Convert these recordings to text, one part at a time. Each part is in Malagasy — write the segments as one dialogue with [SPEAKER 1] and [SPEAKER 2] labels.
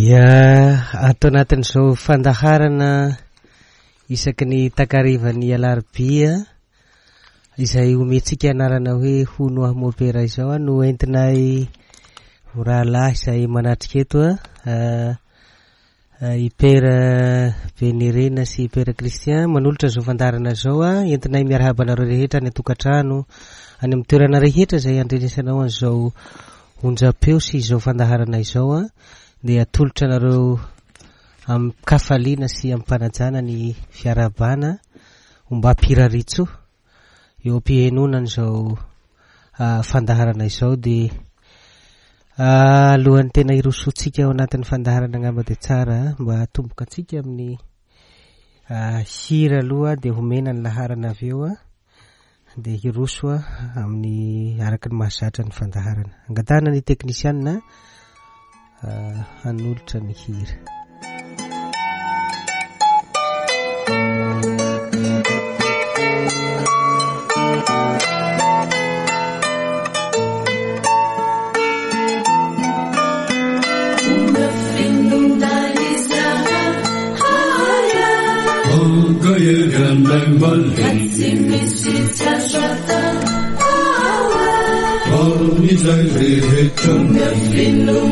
[SPEAKER 1] Dia ato anatin'izao fandaharana isaky ny takarivan'ny alarobia izay omentsika anarana hoe hono aho mopera izao no entinay rahalahy izay manatrika eto i Père Benirina sy i Père Christian manolotra izao fandaharana izao entinay miarahaba anareo rehetra any an-tokantrano any amin'ny toerana rehetra izay andrenesanao an'izao onjam-peo sy izao fandaharana izao dia atolotra anareo amin-kafaliana sy amim-panajana ny fiarahabana ombam-piraritsoa eo am-pihenoana an'izao fandaharana izao dia alohan'ny tena hirosoantsika ao anatin'ny fandaharana angamba dia tsara mba hatomboka antsika amin'ny hira aloha dia homena ny laharana avy eo dia hiroso amin'ny araka ny mahazatra ny fandaharana. Angatahana ny teknisianina hanolotra ny hira.
[SPEAKER 2] Mino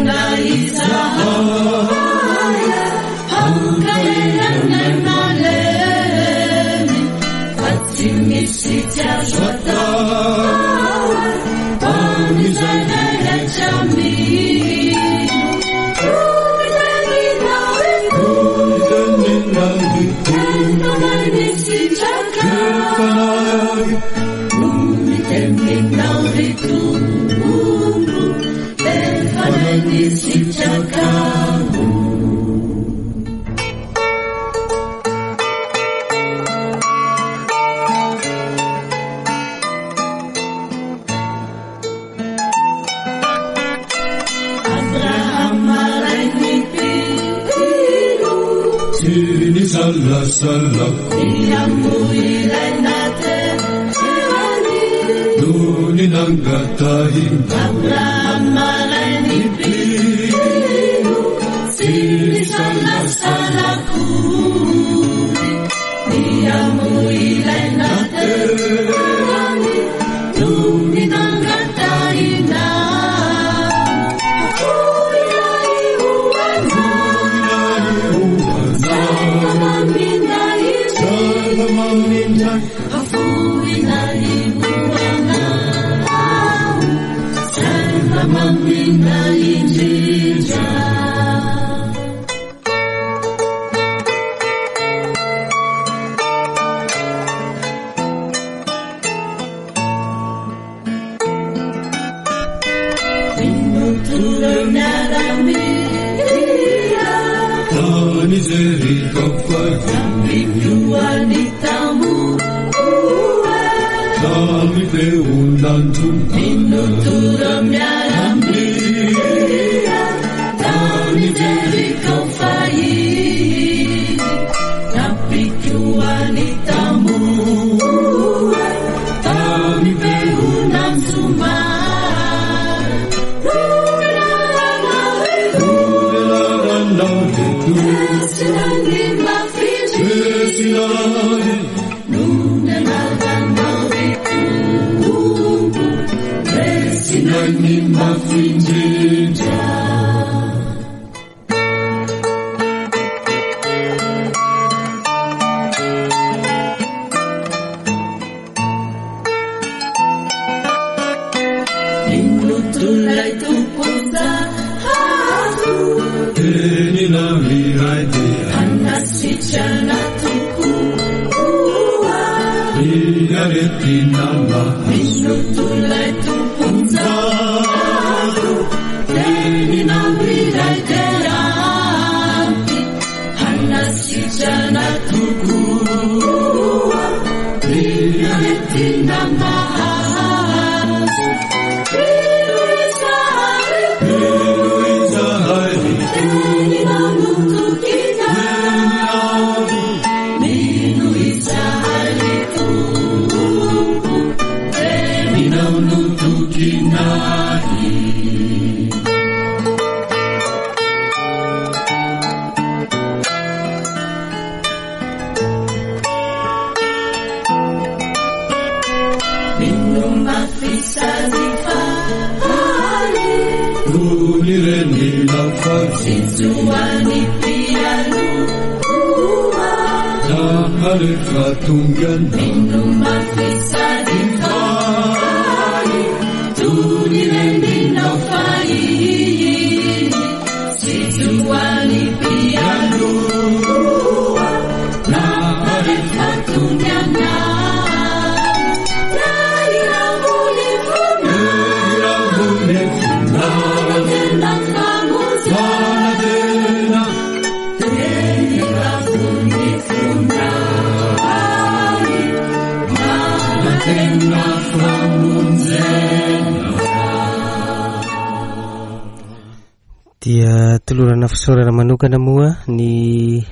[SPEAKER 1] Dia tolorana fisaorana manokana moa ny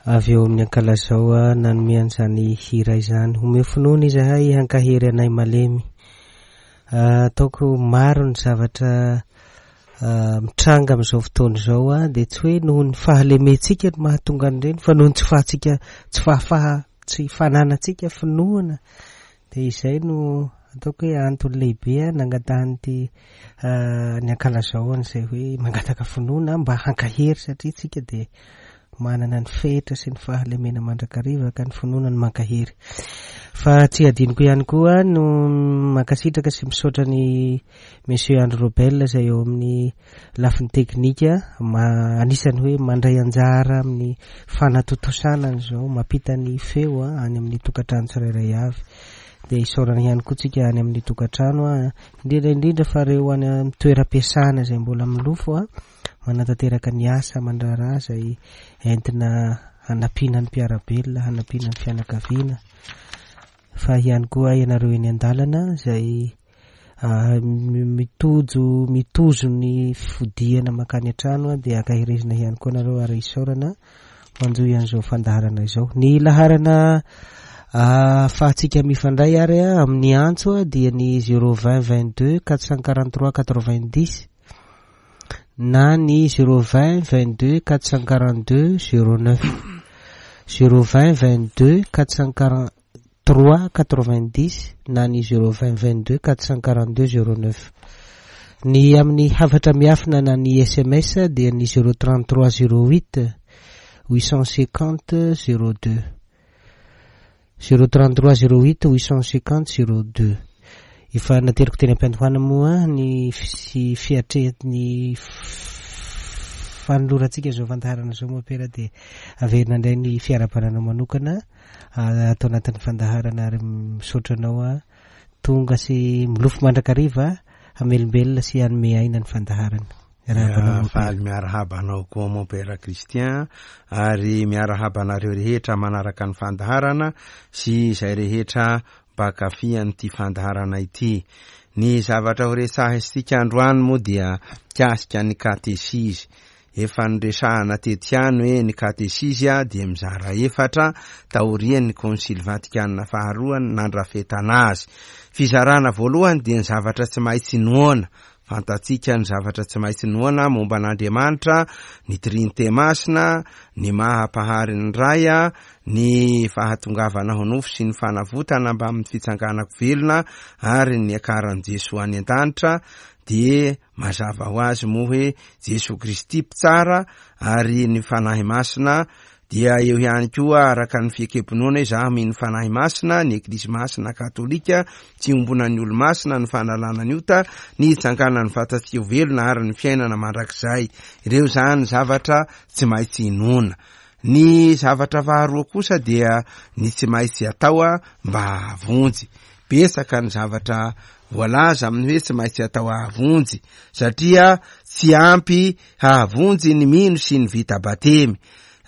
[SPEAKER 1] avy eo amin'ny Ankalazao nanome an'izany hira izany. Omeo finoana izahay hankahery anay malemy. Ataoko maro ny zavatra mitranga amin'izao fotoana izao dia tsy hoe noho ny fahalementsika no mahatonga an'ireny fa noho ny tsy fahatsika tsy fahafaha tsy fananantsika finoana dia izay no ataoko hoe antony lehibe nangatahan'ity ny ankalazao an'izay hoe mangataka finoana mba hankahery satria tsika dia manana ny fetra sy ny fahalemena mandrakariva ka ny finoana no mankahery. Fa tsy adinoko ihany koa no mankasitraka sy misaotra ny Monsieur Andry Robel izay eo amin'ny lafiny teknika ma anisan'ny hoe mandray anjara amin'ny fanatontosana an'izao mampita ny feo any amin'ny tokantrano tsirairay avy. Dia isaorana ihany koa tsika any amin'ny tokantrano, indrindra indrindra fa ireo any amin'ny toeram-piasana izay mbola milofo manatanteraka ny asa aman-draharaha izay entina hanampiana ny mpiara-belona, hanampiana ny fianakaviana, fa ihany koa ianareo eny an-dalana izay mitojo mitozo ny fodiana mankany an-trano dia ankaherezina ihany koa nareo ary isaorana manjohy an'izao fandaharana izao. Ny laharana ahafahantsika mifandray ary amin'ny antso dia ny 020 22 443 90 na ny 020 22 442 09 020 22 443 90 na ny 020 22 442 09. Ny amin'ny hafatra miafina na ny sms dia ny 033 08 850 02. 033 08 850 02. Efa nateriko teny am-piandohana moa ny sy fiatre ny fanolorantsika izao fandaharana izao moa pera dia averina indray ny fiarahabananao manokana ato anatin'ny fandaharana ary misaotra anao a tonga sy milofo mandrakariva hamelombelona sy hanome aina ny fandaharana. Miarahaba anao mon père.
[SPEAKER 2] Faly miarahaba anao koa mon père Christian ary miarahaba anareo rehetra manaraka ny fandaharana sy izay rehetra mpankafy an'ity fandaharana ity. Ny zavatra ho resahintsika androany moa dia mikasika ny katesizy. Efa noresahana teto ihany hoe ny katesizy dia mizara efatra taorian'ny Konsily Vatikana faharoa nandrafetana azy. Fizarana voalohany dia ny zavatra tsy maintsy inoana. Fantatsika ny zavatra tsy maintsy inoana momba an'Andriamanitra, ny Trinite Masina, ny maha Mpahary ny Ray, ny fahatongavana ho nofo sy ny fanavotana mbamin'ny fitsanganako velona ary ny niakaran'i Jesoa any an-danitra, dia mazava ho azy moa hoe Jesoa Kristy Mpitsara ary ny Fanahy Masina dia eo ihany koa araka ny fiekem-pinoana hoe izaho mino Fanahy Masina, ny Eglizy Masina Katolika, tsy iombonan'ny olo-masina, ny fanalana ny ota, ny hitsanganan'ny vatantsika ho velona ary ny fiainana mandrakizay. Ireo izany zavatra tsy maintsy inoana. Ny zavatra faharoa kosa dia ny tsy maintsy atao mba hahavonjy. Betsaka ny zavatra voalaza amin'ny hoe tsy maintsy atao hahavonjy satria tsy ampy hahavonjy ny mino sy ny vita batemy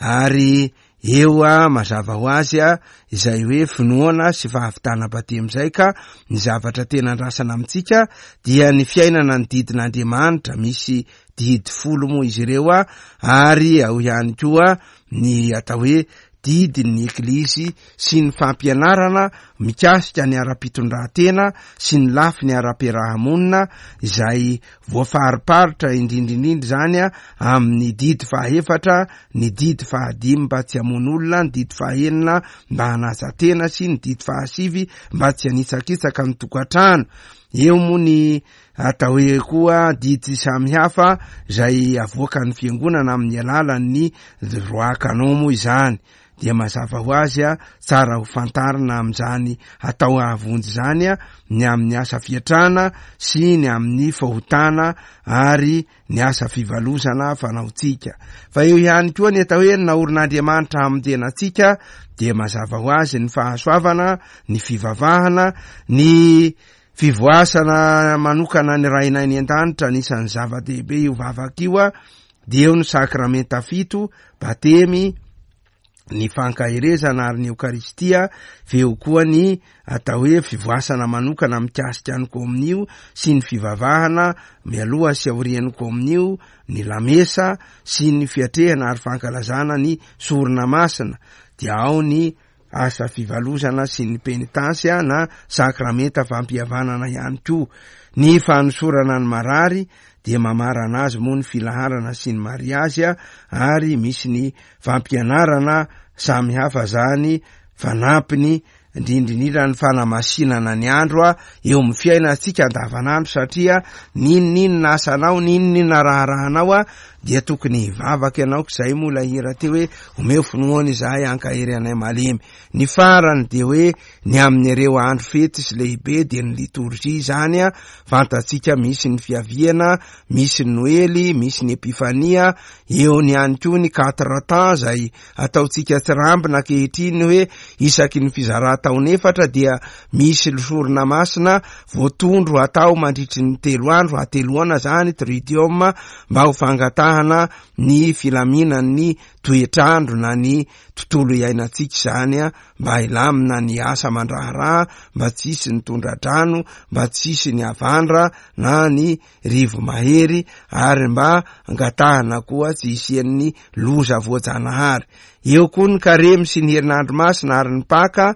[SPEAKER 2] ary eo a mazava ho azy a izay hoe finoana sy fahavitana batemy izay ka ny zavatra tena andrasana amintsika dia ny fiainana ny didin'Andriamanitra misy didy folo moa izy ireo a ary ao ihany koa ny atao hoe didin'ny Eglizy sy ny fampianarana mikasika ny ara-pitondrantena sy ny lafiny ara-piarahamonina izay voafariparitra indrindra indrindra izany amin'ny didy fahaefatra, ny didy fahadimy mba tsy hamono olona, ny didy fahenina mba hanaja tena sy ny didy fahasivy mba tsy hanitsakitsaka ny tokantrano. Eo moa ny atao hoe koa didy samihafa izay avoakan'ny fiangonana amin'ny alalan'ny droit canon moa izany. Dia mazava ho azy tsara ho fantarina amin'izany atao hahavonjy izany ny amin'ny asa fiatrana sy ny amin'ny fahotana ary ny asa fivalozana fanaontsika. Fa eo ihany koa ny atao hoe ny naorin'Andriamanitra hamonjena antsika dia mazava ho azy ny fahasoavana, ny fivavahana, ny fivoasana manokana ny Rainay any an-danitra, anisan'ny zava-dehibe io vavaka io, dia eo ny sakramenta fito, batemy, ny fankaherezana ary ny Eokaristia, fa eo koa ny atao hoe fivoasana manokana mikasika ny kominio sy ny fivavahana mialoha sy aorian'ny kominio, ny lamesa sy ny fiatrehana ary fankalazana ny sorona masina, dia ao ny asa fivalozana sy ny penitansy na sakramenta fampihavanana ihany koa. Ny fanosorana ny marary dia mamarana azy moa ny filaharana sy ny mariazy ary misy ny fampianarana samy hafa zany fanampiny indrindrindrindra ny fanamasinana ny andro eo amin'ny fiainantsika andavanandro satria n'inon'inona asanao n'inon'inona raharahanao dia tokony hivavaka ianao k'izay moa ilay hira teo hoe omeo finoana izahay ankahery anay malemy. Ny farany dia hoe ny amin'ireo andro fety sy lehibe dia ny litorjia izany a, fantatsika misy ny fiaviana, misy ny noely, misy ny epifania, eo ny ihany koa ny quatre temps izay ataontsika tsirambina ankehitriny hoe isaky ny fizaran-taona efatra dia misy sorona masina voatondro atao mandritry ny telo andro, hateloana izany, tridium, mba ho fangatahana ny filaminan'ny toetr'andro na ny tontolo iainantsika izany mba hilamina ny asa aman-draharaha, mba tsy hisy ny tondra-drano, mba tsy hisy ny havandra na ny rivo-mahery ary mba angatahana koa tsy hisian'ny loza voajanahary. Eo koa ny karemy sy ny herinandro masina ary ny paka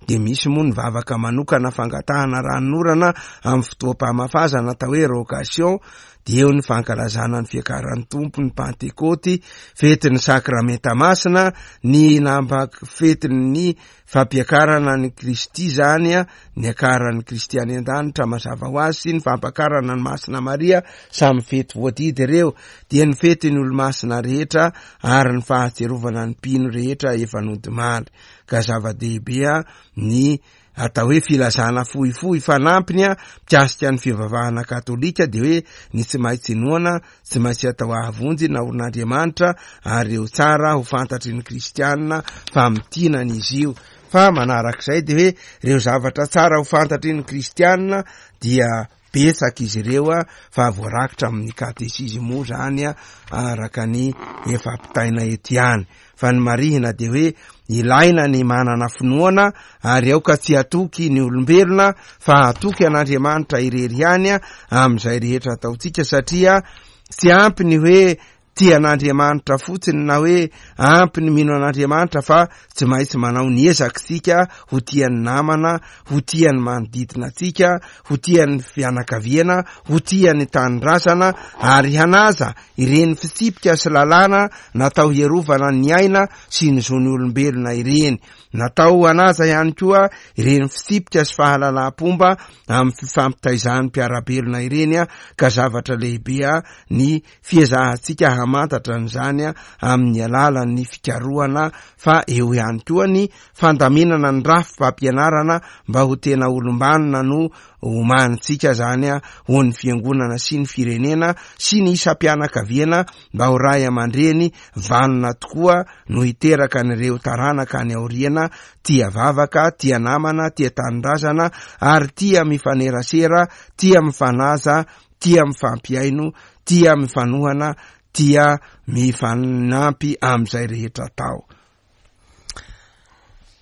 [SPEAKER 2] dia misy moa ny vavaka manokana fangatahana ranonorana amin'ny fotoam-pamafazana atao hoe rogation, dia eo ny fankalazana ny fiakaran'ny Tompo, ny Pantekôty, fetin'ny Sakramenta Masina, ny nampa fetin'ny fampiakarana an'i Kristy izany, niakaran'i Kristy any an-danitra mazava ho azy, sy ny fampakarana an'i Masina Maria, samy fety voadidy ireo, dia ny fetin'ny olomasina rehetra ary ny fahatsiarovana ny mpino rehetra efa nodimandry. Ka zava-dehibe ny atao hoe filazana fohifohy fanampiny mikasika ny fivavahana katolika dia hoe ny tsy maintsy inoana, tsy maintsy atao ahavonjy naorin'Andriamanitra ary eo tsara ho fantatry ny kristianina fa mitinana izy io. Fa manarak'izay dia hoe ireo zavatra tsara ho fantatry ny kristianina dia betsaka izy ireo fa voarakitra amin'ny katesizy moa zany araka ny efa ampitaina eto ihany. Fa ny marihina dia hoe ilaina ny manana finoana ary aoka tsy hatoky ny olombelona fa hatoky an'Andriamanitra irery ihany amin'izay rehetra ataontsika satria tsy ampy ny hoe tia an'Andriamanitra fotsiny na hoe ampy ny mino an'Andriamanitra fa tsy maintsy manao ny ezaka isika ho tia ny namana, ho tia ny manodidina antsika, ho tia ny fianakaviana, ho tia ny tanindrazana ary hanaja ireny fitsipika sy lalàna natao hiarovana ny aina sy ny zon'ny olombelona ireny. Natao hanaja ihany koa ireny fitsipika sy fahalalam-pomba amin'ny fifampitaizan'ny mpiara-belona ireny ka zavatra lehibe ny fiezahantsika hamantatra an'izany amin'ny alalan'ny fikarohana fa eo ihany koa ny fandaminana ny rafi-pampianarana mba ho tena olom-banona no omanintsika zany ho ny fiangonana sy ny firenena sy ny isam-pianakaviana mba ho ray aman-dreny vanona tokoa no hiteraka an'ireo taranaka any aoriana tia vavaka, tia namana, tia tanindrazana ary tia mifanerasera, tia mifanaja tia mifampihaino, tia mifanohana, tia mifanampy amin'izay rehetra atao.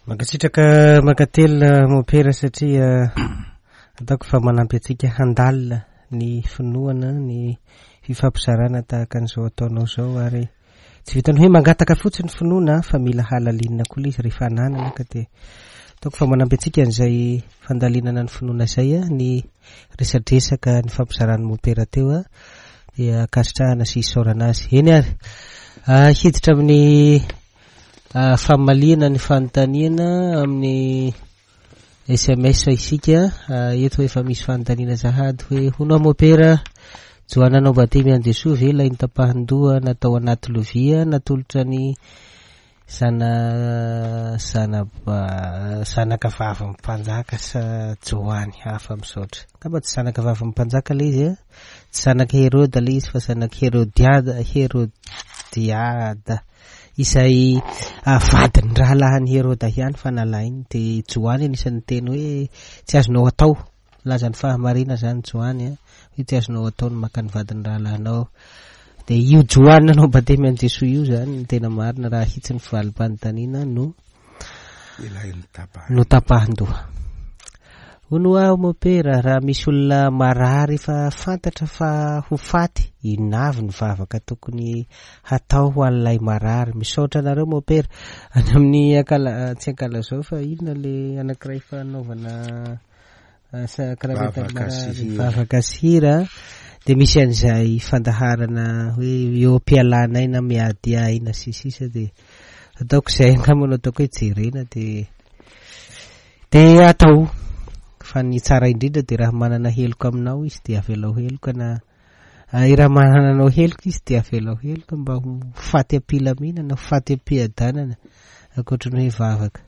[SPEAKER 1] Mankasitraka mankatelina mompera satria ataoko fa manampy antsika handalina ny finoana ny fifampizarana tahaka an'izao ataonao izao ary Tsy vitan'ny hoe mangataka fotsiny finoana fa mila halalinina koa ilay izy rehefa ananana ka dia ataoko fa manampy antsika an'izay fandalinana ny finoana izay ny resadresaka ny fampizaran'ny mompera teo dia ankasitrahana sy isaorana azy. Eny ary, hiditra amin'ny famaliana ny fanontaniana amin'ny. SMS isika. Eto efa misy fanontaniana sahady hoe hono aho mopera, Joany nanao batemy an'i Jesoa ve ilay notapahin-doha natao anaty lovia natolotra ny zana zana zanaka vavin'ny mpanjaka sa Joany hafa misaotra. Angamba tsy zanaka vavin'ny mpanjaka ilay izy a. Tsy zanak'i Heroda ilay izy fa zanak'i Herodiada Herodiada izay vadin'ny rahalahin'i Heroda ihany fa nalainy. Dia Joany anisan'ny niteny hoe tsy azonao atao Milaza ny fahamarina izany Joany a, hoe tsy azonao atao ny maka ny vadin'ny rahalahinao. Dia io Joany nanao batemy an'i Jesoa io izany no tena marina raha ahitsy ny valim-panontaniana no notapahin-doha. Hono aho mopera, raha misy olona marary efa fantatra fa ho faty, inona avy ny vavaka tokony hatao ho an'ilay marary? Misaotra anareo mopera. Any amin'ny ankala, tsy ankalazao fa inona le anankiray fanaovana
[SPEAKER 2] Vavaka sy hira.
[SPEAKER 1] Vavaka sy hira dia misy an'izay fandaharana hoe eo am-pialana aina miady aina sy sisa dia ataoko izay angamba no ataoko hoe jerena dia dia atao fa ny tsara indrindra dia raha manana heloka aminao izy dia avelao heloka na raha manana anao heloka izy dia avelao heloka mba ho faty am-pilaminana ho faty am-piadanana ankoatry ny hoe vavaka.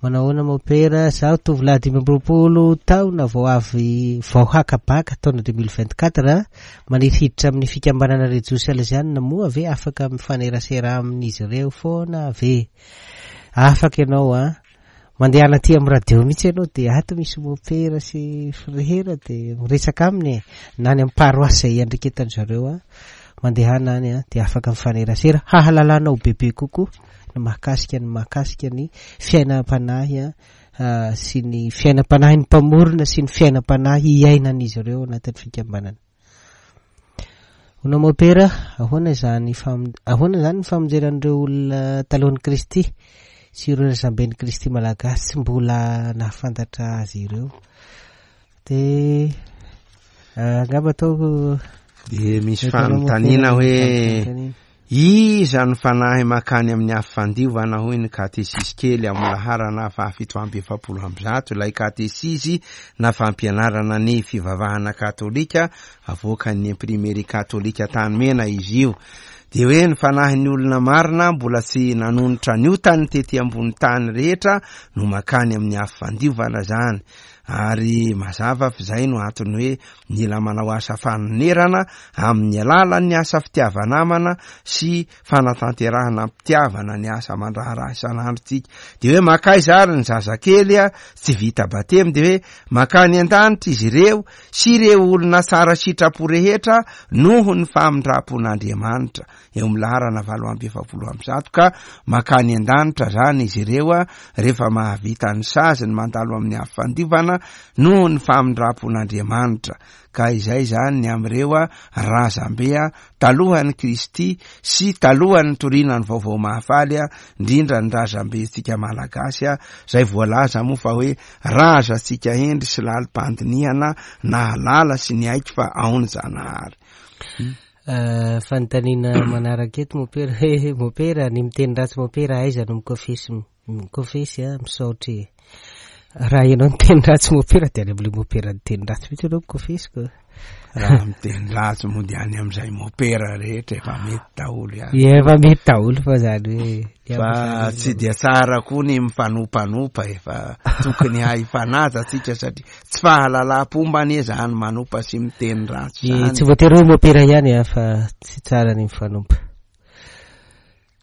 [SPEAKER 1] Manahoana Mopera, zaho tovolahy 25 taona vao avy vao haka bac taona 2024, maniry hiditra amin'ny fikambanana Rejos Salesianina moa ve afaka mifanerasera amin'izy ireo foana ve? Afaka ianao an! Mandehana aty amin'ny radio mihitsy ianao dia ato misy Mopera sy Frera dia miresaka aminy e! Na any amin'ny paroasy izay iandriketan-dry zareo an! Mandehana any an! Dia afaka mifanerasera hahalalanao bebe kokoa. ny mahakasika ny mahakasika ny fiainam-panahy sy ny fiainam-panahin'ny mpamorona sy ny fiainam-panahy iainan'izy ireo anatin'ny fikambanana. Hono mopera, ahoana izany ahoana izany ny famonjena an'ireo olona talohan'i Kristy sy ireo razamben'i Kristy malagasy tsy mbola nahafantatra azy ireo? Dia angamba ataoko
[SPEAKER 2] Dia misy fanontaniana hoe Iza no fanahy makany amin'ny afo fandiovana hoy ny katesizy kely amin'ny laharana faha 147, ilay katesizy na fampianarana ny fivavahana katolika avoakan'ny Imprimerie katolika Antanimena izy io. Dia hoe ny fanahin'ny olona marina mbola tsy nanonitra ny otany tety ambony tany rehetra no makany amin'ny afo fandiovana zany. Ary mazava f'izay no antony hoe Mila manao asa fanonerana amin'ny alalan'ny asa fitiava-namana sy fanatanterahana am-pitiavana ny asa aman-draharaha isan'andro tsika. Dia hoe makaiza ary ny zazakely tsy vita batemy? Dia hoe makany an-danitra izy ireo sy ireo olona tsara sitrapo rehetra noho ny famindram-pon'Andriamanitra. Eo amin'ny laharana 148 ka makany an-danitra zany izy ireo rehefa mahavita ny saziny mandalo amin'ny afo fandiovana noho ny famindram-pon'Andriamanitra. Ka izay izany ny amin'ireo razambe talohan'i Kristy sy talohan'ny nitoriana ny vaovao mahafaly, indrindra ny razambentsika Malagasy izay voalaza moa fa hoe razantsika hendry sy lalim-pandinihana nahalala sy niaiky fa ao ny Zanahary.
[SPEAKER 1] Fanontaniana manaraka eto mopera hoe mopera ny miteny ratsy mopera aiza no mikofesy mikofesy a misaotra e raha ianao niteny ratsy mopera dia any amin'ilay mopera niteny ratsy mihitsy ianao mikofesy ko
[SPEAKER 2] raha miteny ratsy moa dia any amin'izay mopera rehetra efa mety daholo
[SPEAKER 1] ihany efa mety daholo fa zany hoe
[SPEAKER 2] fa tsy dia tsara koa ny mifanompanopa efa tokony hahifanaja tsika satria Tsy fahalalam-pomba anie zany manompa sy miteny ratsy zany.
[SPEAKER 1] Tsy voatery hoe mopera ihany a fa tsy tsara ny mifanompa.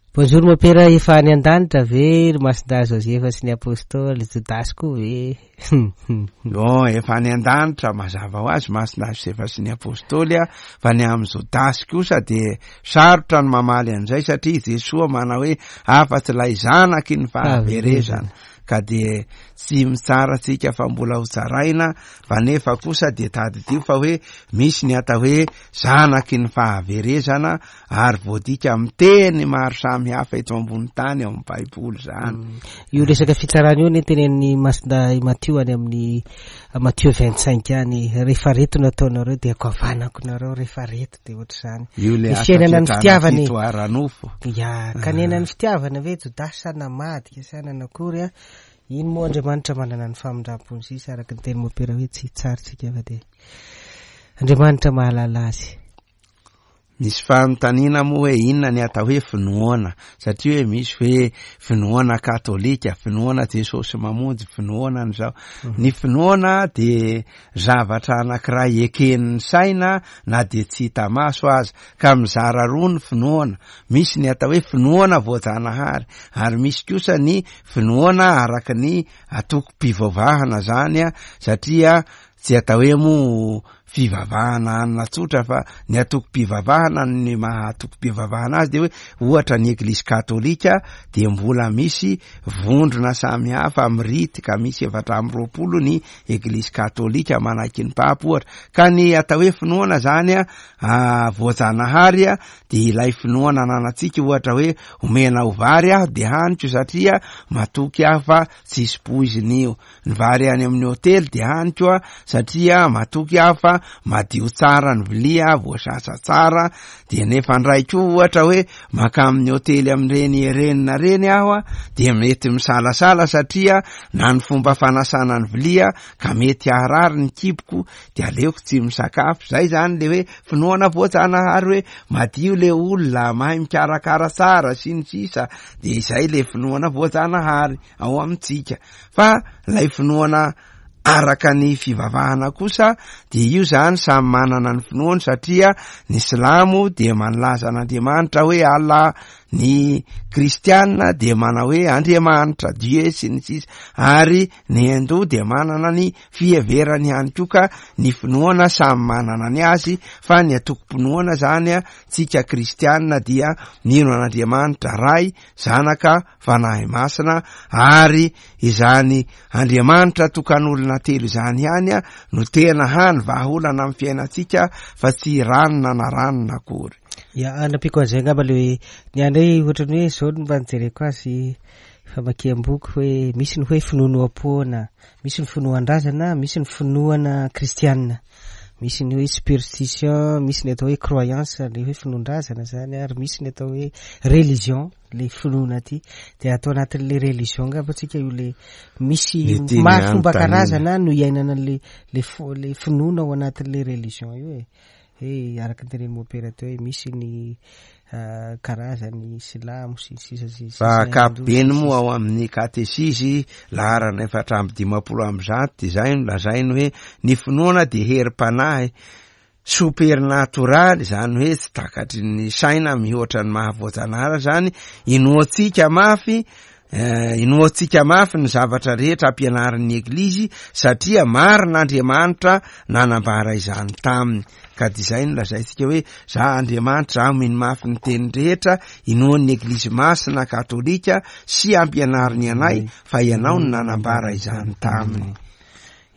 [SPEAKER 1] Bonjour mopera, efa any an-danitra ve ry Masindahy Josefa sy ny Apostoly, Jodasy koa ve?
[SPEAKER 2] Bon, efa any an-danitra mazava ho azy Masindahy Josefa sy ny Apostoly a, fa ny amin'i Jodasy kosa dia sarotra ny mamaly an'izay satria Jesoa manao hoe afa-tsy ilay zanaky ny fahaverezana. ka dia tsy mitsara tsika fa mbola ho tsaraina fa nefa kosa dia tadidio fa hoe misy ny atao hoe zanaky ny fahaverezana ary voadika amin'ny teny maro samy hafa eto ambony tany ao amin'ny baiboly zany.
[SPEAKER 1] Mm. Io resaka fitsarana io ne tenenin'ny Masindahy Matio any amin'ny Matio 25 any, rehefa reto no ataonareo dia goavanako nareo rehefa reto. dia ohatr'izany.
[SPEAKER 2] Io le
[SPEAKER 1] Ny fiainana ny fitiavana e.
[SPEAKER 2] fito ara-nofo.
[SPEAKER 1] Ya, ka niaina ny fitiavana ve Jodasy sa namadika sa nanakory a? Iny moa Andriamanitra manana ny famindram-pony sisa araka ny teny mopera hoe tsy hitsara tsika fa dia Andriamanitra mahalala azy.
[SPEAKER 2] Misy fanontaniana moa hoe inona ny atao hoe finoana, satria hoe misy hoe finoana katolika, finoana Jesosy mamonjy, finoana an'izao. Ny finoana dia zavatra anankiray eken'ny saina na dia tsy hita maso aza, ka mizara roa ny finoana, misy ny atao hoe finoana voajanahary, ary misy kosa ny finoana araka ny antokom-pivavahana zany, satria tsy atao hoe moa fivavahana anona tsotra fa ny antokom-pivavahana, ny maha antokom-pivavahana azy dia hoe ohatra ny eglizy katolika dia mbola misy vondrona samihafa mirity ka misy 24 ny eglizy katolika manaiky ny papa ohatra. Ka ny atao hoe finoana zany a, voajanahary a, dia ilay finoana ananantsika ohatra hoe omenao vary aho dia haniko satria matoky aho fa tsisy poizina io. Ny vary any amin'ny hotely dia haniko a, satria matoky aho fa madio tsara ny vilia, voasasa tsara. Dia nefa ndray koa ohatra hoe maka amin'ny hotely amin'ireny renina ireny aho a, dia mety misalasala satria na ny fomba fanasana ny vilia ka mety haharary ny kiboko, dia aleoko tsy misakafo. Zay zany le hoe finoana voajanahary hoe madio le olona, mahay mikarakara tsara sy ny sisa, dia izay le finoana voajanahary ao amintsika. Fa ilay finoana araka ny fivavahana kosa dia io zany samy manana ny finoany, satria ny silamo dia manlaza an'Andriamanitra hoe Allah, ny kristiana dia manao hoe Andriamanitra, Dieu sy ny sisa, ary ny hindou dia manana ny fiheverany ihany koa. Ka ny finoana samy manana ny azy, fa ny antokom-pinoana zany a, tsika kristiana dia mino an'Andriamanitra Ray, Zanaka, Fanahy Masina, ary izany Andriamanitra tokan'olona telo izany ihany no tena hany vahaolana amin'ny fiainantsika fa tsy ranona na ranona akory.
[SPEAKER 1] Ya, anampiako an'izay angamba le hoe ny anay ohatran'ny hoe zao no mba nijereko azy famakiam-boky hoe misy ny hoe finoanoam-poana, misy ny finoan-drazana, misy ny finoana kristianina, misy ny hoe superstition, misy ny atao hoe croyance, le hoe finoan-drazana zany, ary misy ny atao hoe religion, le finoana aty. Dia atao anatin'le religion angamba tsika io, le misy
[SPEAKER 2] Ny tiany
[SPEAKER 1] maro fomba
[SPEAKER 2] hanontaniana.
[SPEAKER 1] karazana no iainana le finoana ao anatin'le religion io e. Hoe araka ny tenenin'i Mopera teo hoe misy ny karazany silamo sy ny sisa sy ny sisa,
[SPEAKER 2] Fa
[SPEAKER 1] Hindu sy
[SPEAKER 2] ankapobeny
[SPEAKER 1] ny
[SPEAKER 2] moa
[SPEAKER 1] sisa.
[SPEAKER 2] ao amin'ny katesizy laharana 154 dia izay no lazainy hoe ny finoana dia herim-panahy supernatoraly, izany hoe tsy takatry ny saina mihoatra ny maha voajanahary zany, inoantsika mafy, inoantsika mafy ny zavatra rehetra ampianarin'ny Eglizy satria marina Andriamanitra nanambara izany taminy. Ka dia izay no lazaintsika hoe za Andriamanitra, aho mino mafy ny teny rehetra inoan'ny Eglizy Masina Katolika sy ampianariny anay, fa ianao no nanambara izany taminy.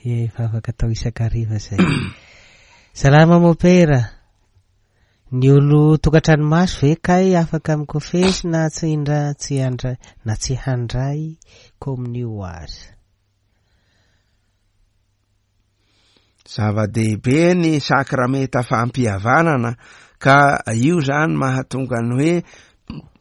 [SPEAKER 1] Ie, vavaka atao isan-kariva zay. Salama Mopera. Ny olo tokantrano maso ve kay afaka mikofesy na tsy indra, tsy handray, na tsy handray kominio aza?
[SPEAKER 2] Zava-dehibe ny sakramenta fampihavanana, ka io zany mahatonga ny hoe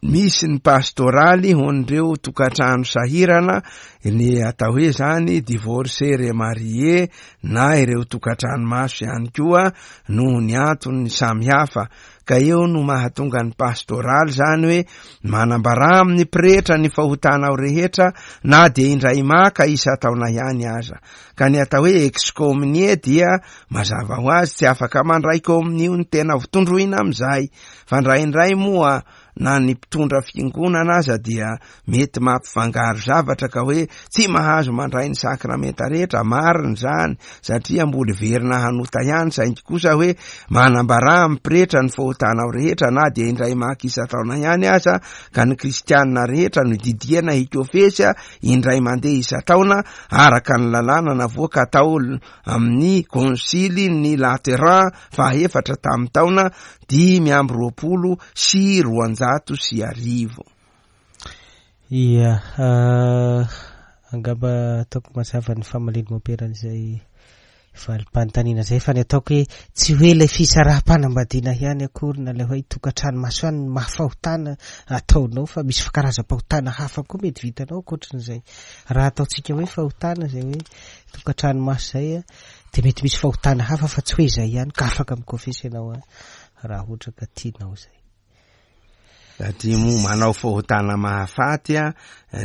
[SPEAKER 2] misy ny pastoraly ho an'ireo tokantrano sahirana, ny atao hoe zany divorcé remarié na ireo tokantrano maso ihany koa noho ny antony samihafa. Ka eo no mahatonga ny pastoraly zany hoe manambarà amin'ny pretra ny fahotanao rehetra na dia indray maka isan-taona ihany aza. Ka ny atao hoe excommunié dia mazava ho azy tsy afaka mandray kominio ny tena tondroina amin'izay. Fa indraindray moa na ny mpitondra fiangonana aza dia mety mampifangaro zavatra ka hoe tsy mahazo mandray ny sakramenta rehetra. Marina izany satria mbola hiverina hanota ihany, saingy kosa hoe manambarà amin'ny pretra ny fahotanao rehetra na dia indray maka isan-taona ihany aza, ka ny kristianina rehetra no didiana hikofesy indray mandeha isan-taona araka ny lalàna navoaka tao amin'ny konsily ny Lateran fahaefatra tamin'ny taona 1225.
[SPEAKER 1] Ia, angamba ataoko mazava ny famalian'i Mompera an'izay. Valim-panontaniana izay fa ny ataoko hoe tsy hoe ilay fisaraham-panambadiana ihany akory na ilay hoe tokantrano maso ihany no maha fahotana ataonao fa misy karazam-pahotana hafa koa mety vitanao ankoatran'izay. Raha ataontsika hoe fahotana izay hoe tokantrano maso izay dia mety misy fahotana hafa fa tsy hoe izay ihany ka afaka mikofesy ianao raha ohatra ka tianao izay.
[SPEAKER 2] Satria moa manao fahotana mahafaty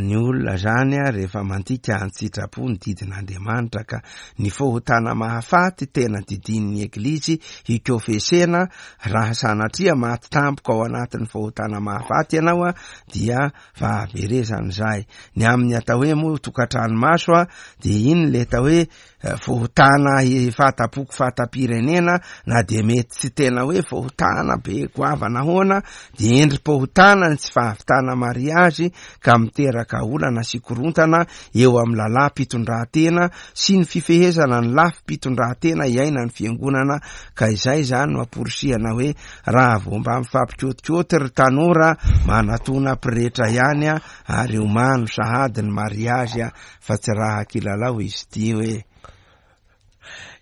[SPEAKER 2] ny olona zany rehefa mandika an-tsitrapo ny didin'Andriamanitra ka ny fahotana mahafaty tena didian'ny Eglizy hikofesena raha sanatria maty tampoka ao anatin'ny fahotana mahafaty ianao dia fahaverezana izay. Ny amin'ny atao hoe moa tokantrano maso dia iny le atao hoe Fahotana fahatampoko fahatam-pirenena na dia mety tsy tena hoe fahotana be goavana ahoana dia endri-pahotana ny tsy fahavitana mariazy ka miteraka olana sy korontana eo amin'ny lalàm-pitondrantena sy ny fifehezana ny lafim-pitondrantena iainan'ny fiangonana ka izay izany no amporisihana hoe raha vao mba mifampikôtikôty ry tanora manatona pretra ihany ary omano sahady ny mariazy fa tsy raha kilalao izy ity hoe.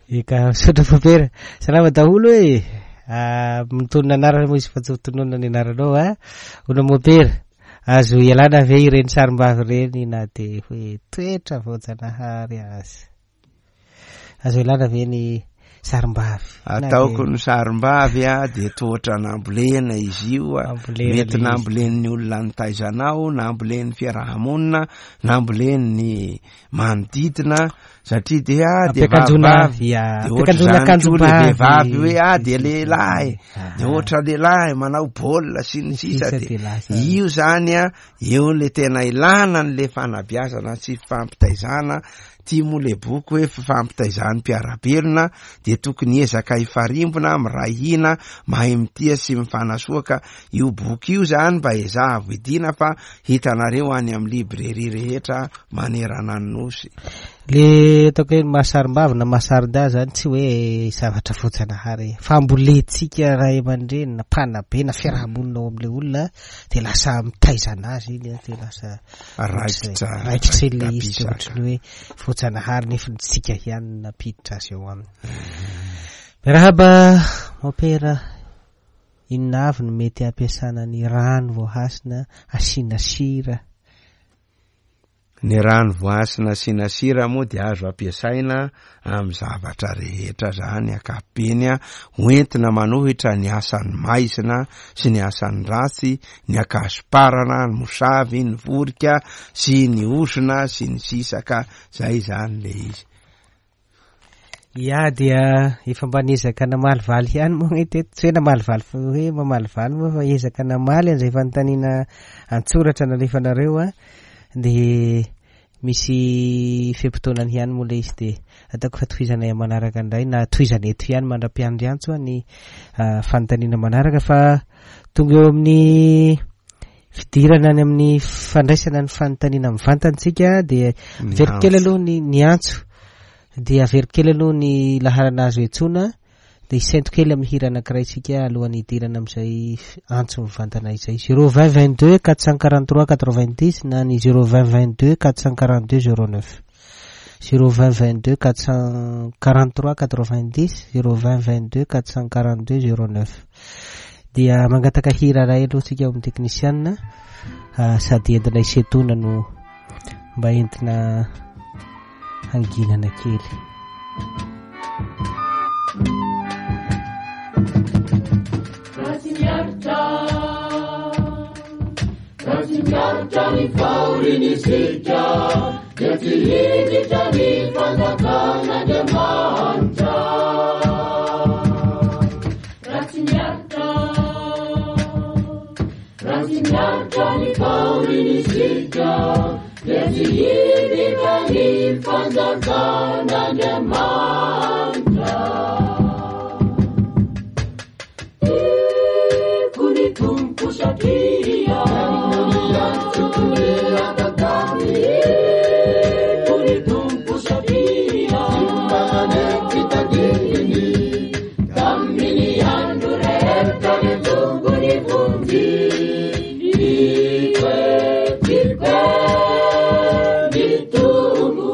[SPEAKER 1] Eka, misaotra Fopera. Salama daholo e. Ah, mitonona anarana moa izy fa tsy ho tononina ny anaranao a. Ona Mopera, azo ialana ve ireny sarim-bavy ireny na dia hoe toetra voajanahary aza? Azo ialana ve ny sarim-bavy?
[SPEAKER 2] Ataoko ny sarim-bavy a dia tohatra nambolena izy io a. Mety nambolen'ny olona nitaizanao, nambolen'ny fiaraha-monina, nambolen'ny manodidina satria dia dia vavivavy
[SPEAKER 1] dia ohatr'izany koa
[SPEAKER 2] le vehivavy hoe ah dia lehilahy dia ohatra lehilahy manao baolina sy ny sisa dia io zany a eo le tena ilana an'le fanabeazana sy fifampitaizana Ty moa le boky hoe fifampitaizan'ny mpiara-belona dia tokony hiezaka hifarimbona, miray hina, mahay mitia sy mifanasoa ka io boky io zany mba ezaha vidiana fa hitanareo any amin'ny librairie rehetra manerana ny nosy.
[SPEAKER 1] Le ataoko hoe mahasarim-bavy na mahasarin-dahy zany tsy hoe zavatra voajanahary e. Fambolentsika ray aman-dreny na mpanabe na fiaraha-monina ao amin'ilay olona dia lasa mitaiza anazy iny dia lasa
[SPEAKER 2] Raikitra
[SPEAKER 1] raikitra ilay izy dia ohatry ny hoe voajanahary nefa ny tsika ihany no nampiditra azy eo aminy. Miarahaba Mompera, inona avy no mety hampiasana ny rano voahasina asiana sira?
[SPEAKER 2] Ny rano voahasina asiana sira moa dia azo ampiasaina amin'ny zavatra rehetra zany ankapobeny ho entina manohitra ny asan'ny maizina sy ny asan'ny ratsy, ny ankazoparana, ny mosavy, ny vorika sy ny ozona sy ny sisa ka zay zany le izy.
[SPEAKER 1] Ya dia efa mba niezaka namalivaly ihany moa ny teto, tsy hoe namalivaly fa hoe mamalivaly moa fa ezaka namaly an'izay fanontaniana an-tsoratra nalefanareo a, dia Misy fe-potoanany ihany moa ilay izy dia ataoko fa tohizanay amin'ny manaraka indray na tohizana eto ihany mandra-piandry antso ny fanontaniana manaraka fa tonga eo amin'ny fidirana any amin'ny fandraisana ny fanontaniana mivantana isika dia averiko kely aloha ny ny antso dia averiko kely aloha ny laharana azo iantsoana. Dia hisento kely amin'ny hira anankiray isika alohan'ny hidirana amin'izay antso mivantana izay. 0 20 22 443 90 na ny 0 20 22 442 09. 0 20 22 443 90 0 20 22 442 09. Dia mangataka hira iray aloha isika ao amin'ny teknisianina ah, sady entina hisentoana no mba entina hanginana kely.
[SPEAKER 3] Raha miaritra ny fahorian'isika dia tsy hiditra ny fanjakan'Andriamanitra. Raha tsy miaritra, raha tsy miaritra ny fahorian'isika dia tsy hiditra ny fanjakan'Andriamanitra. Tiako ny Tompo satria Tiako ny Tompo satria Tamin'ny andro rehetra niantsoako ny vonjy Tiako e, tiako e, ny Tompo.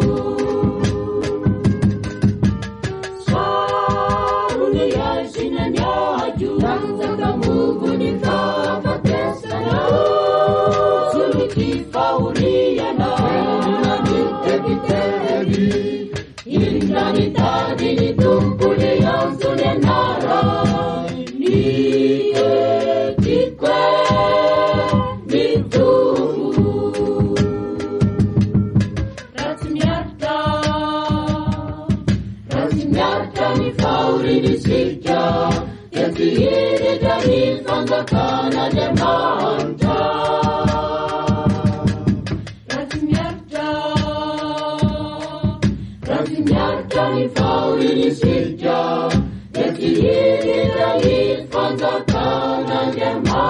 [SPEAKER 3] fahorian'isika dia tsy hiditra ny fanjakan'Andriamanitra. Raha tsy miaritra, raha tsy miaritra ny fahorian'isika dia tsy hiditra ny fanjakan'Andriamanitra.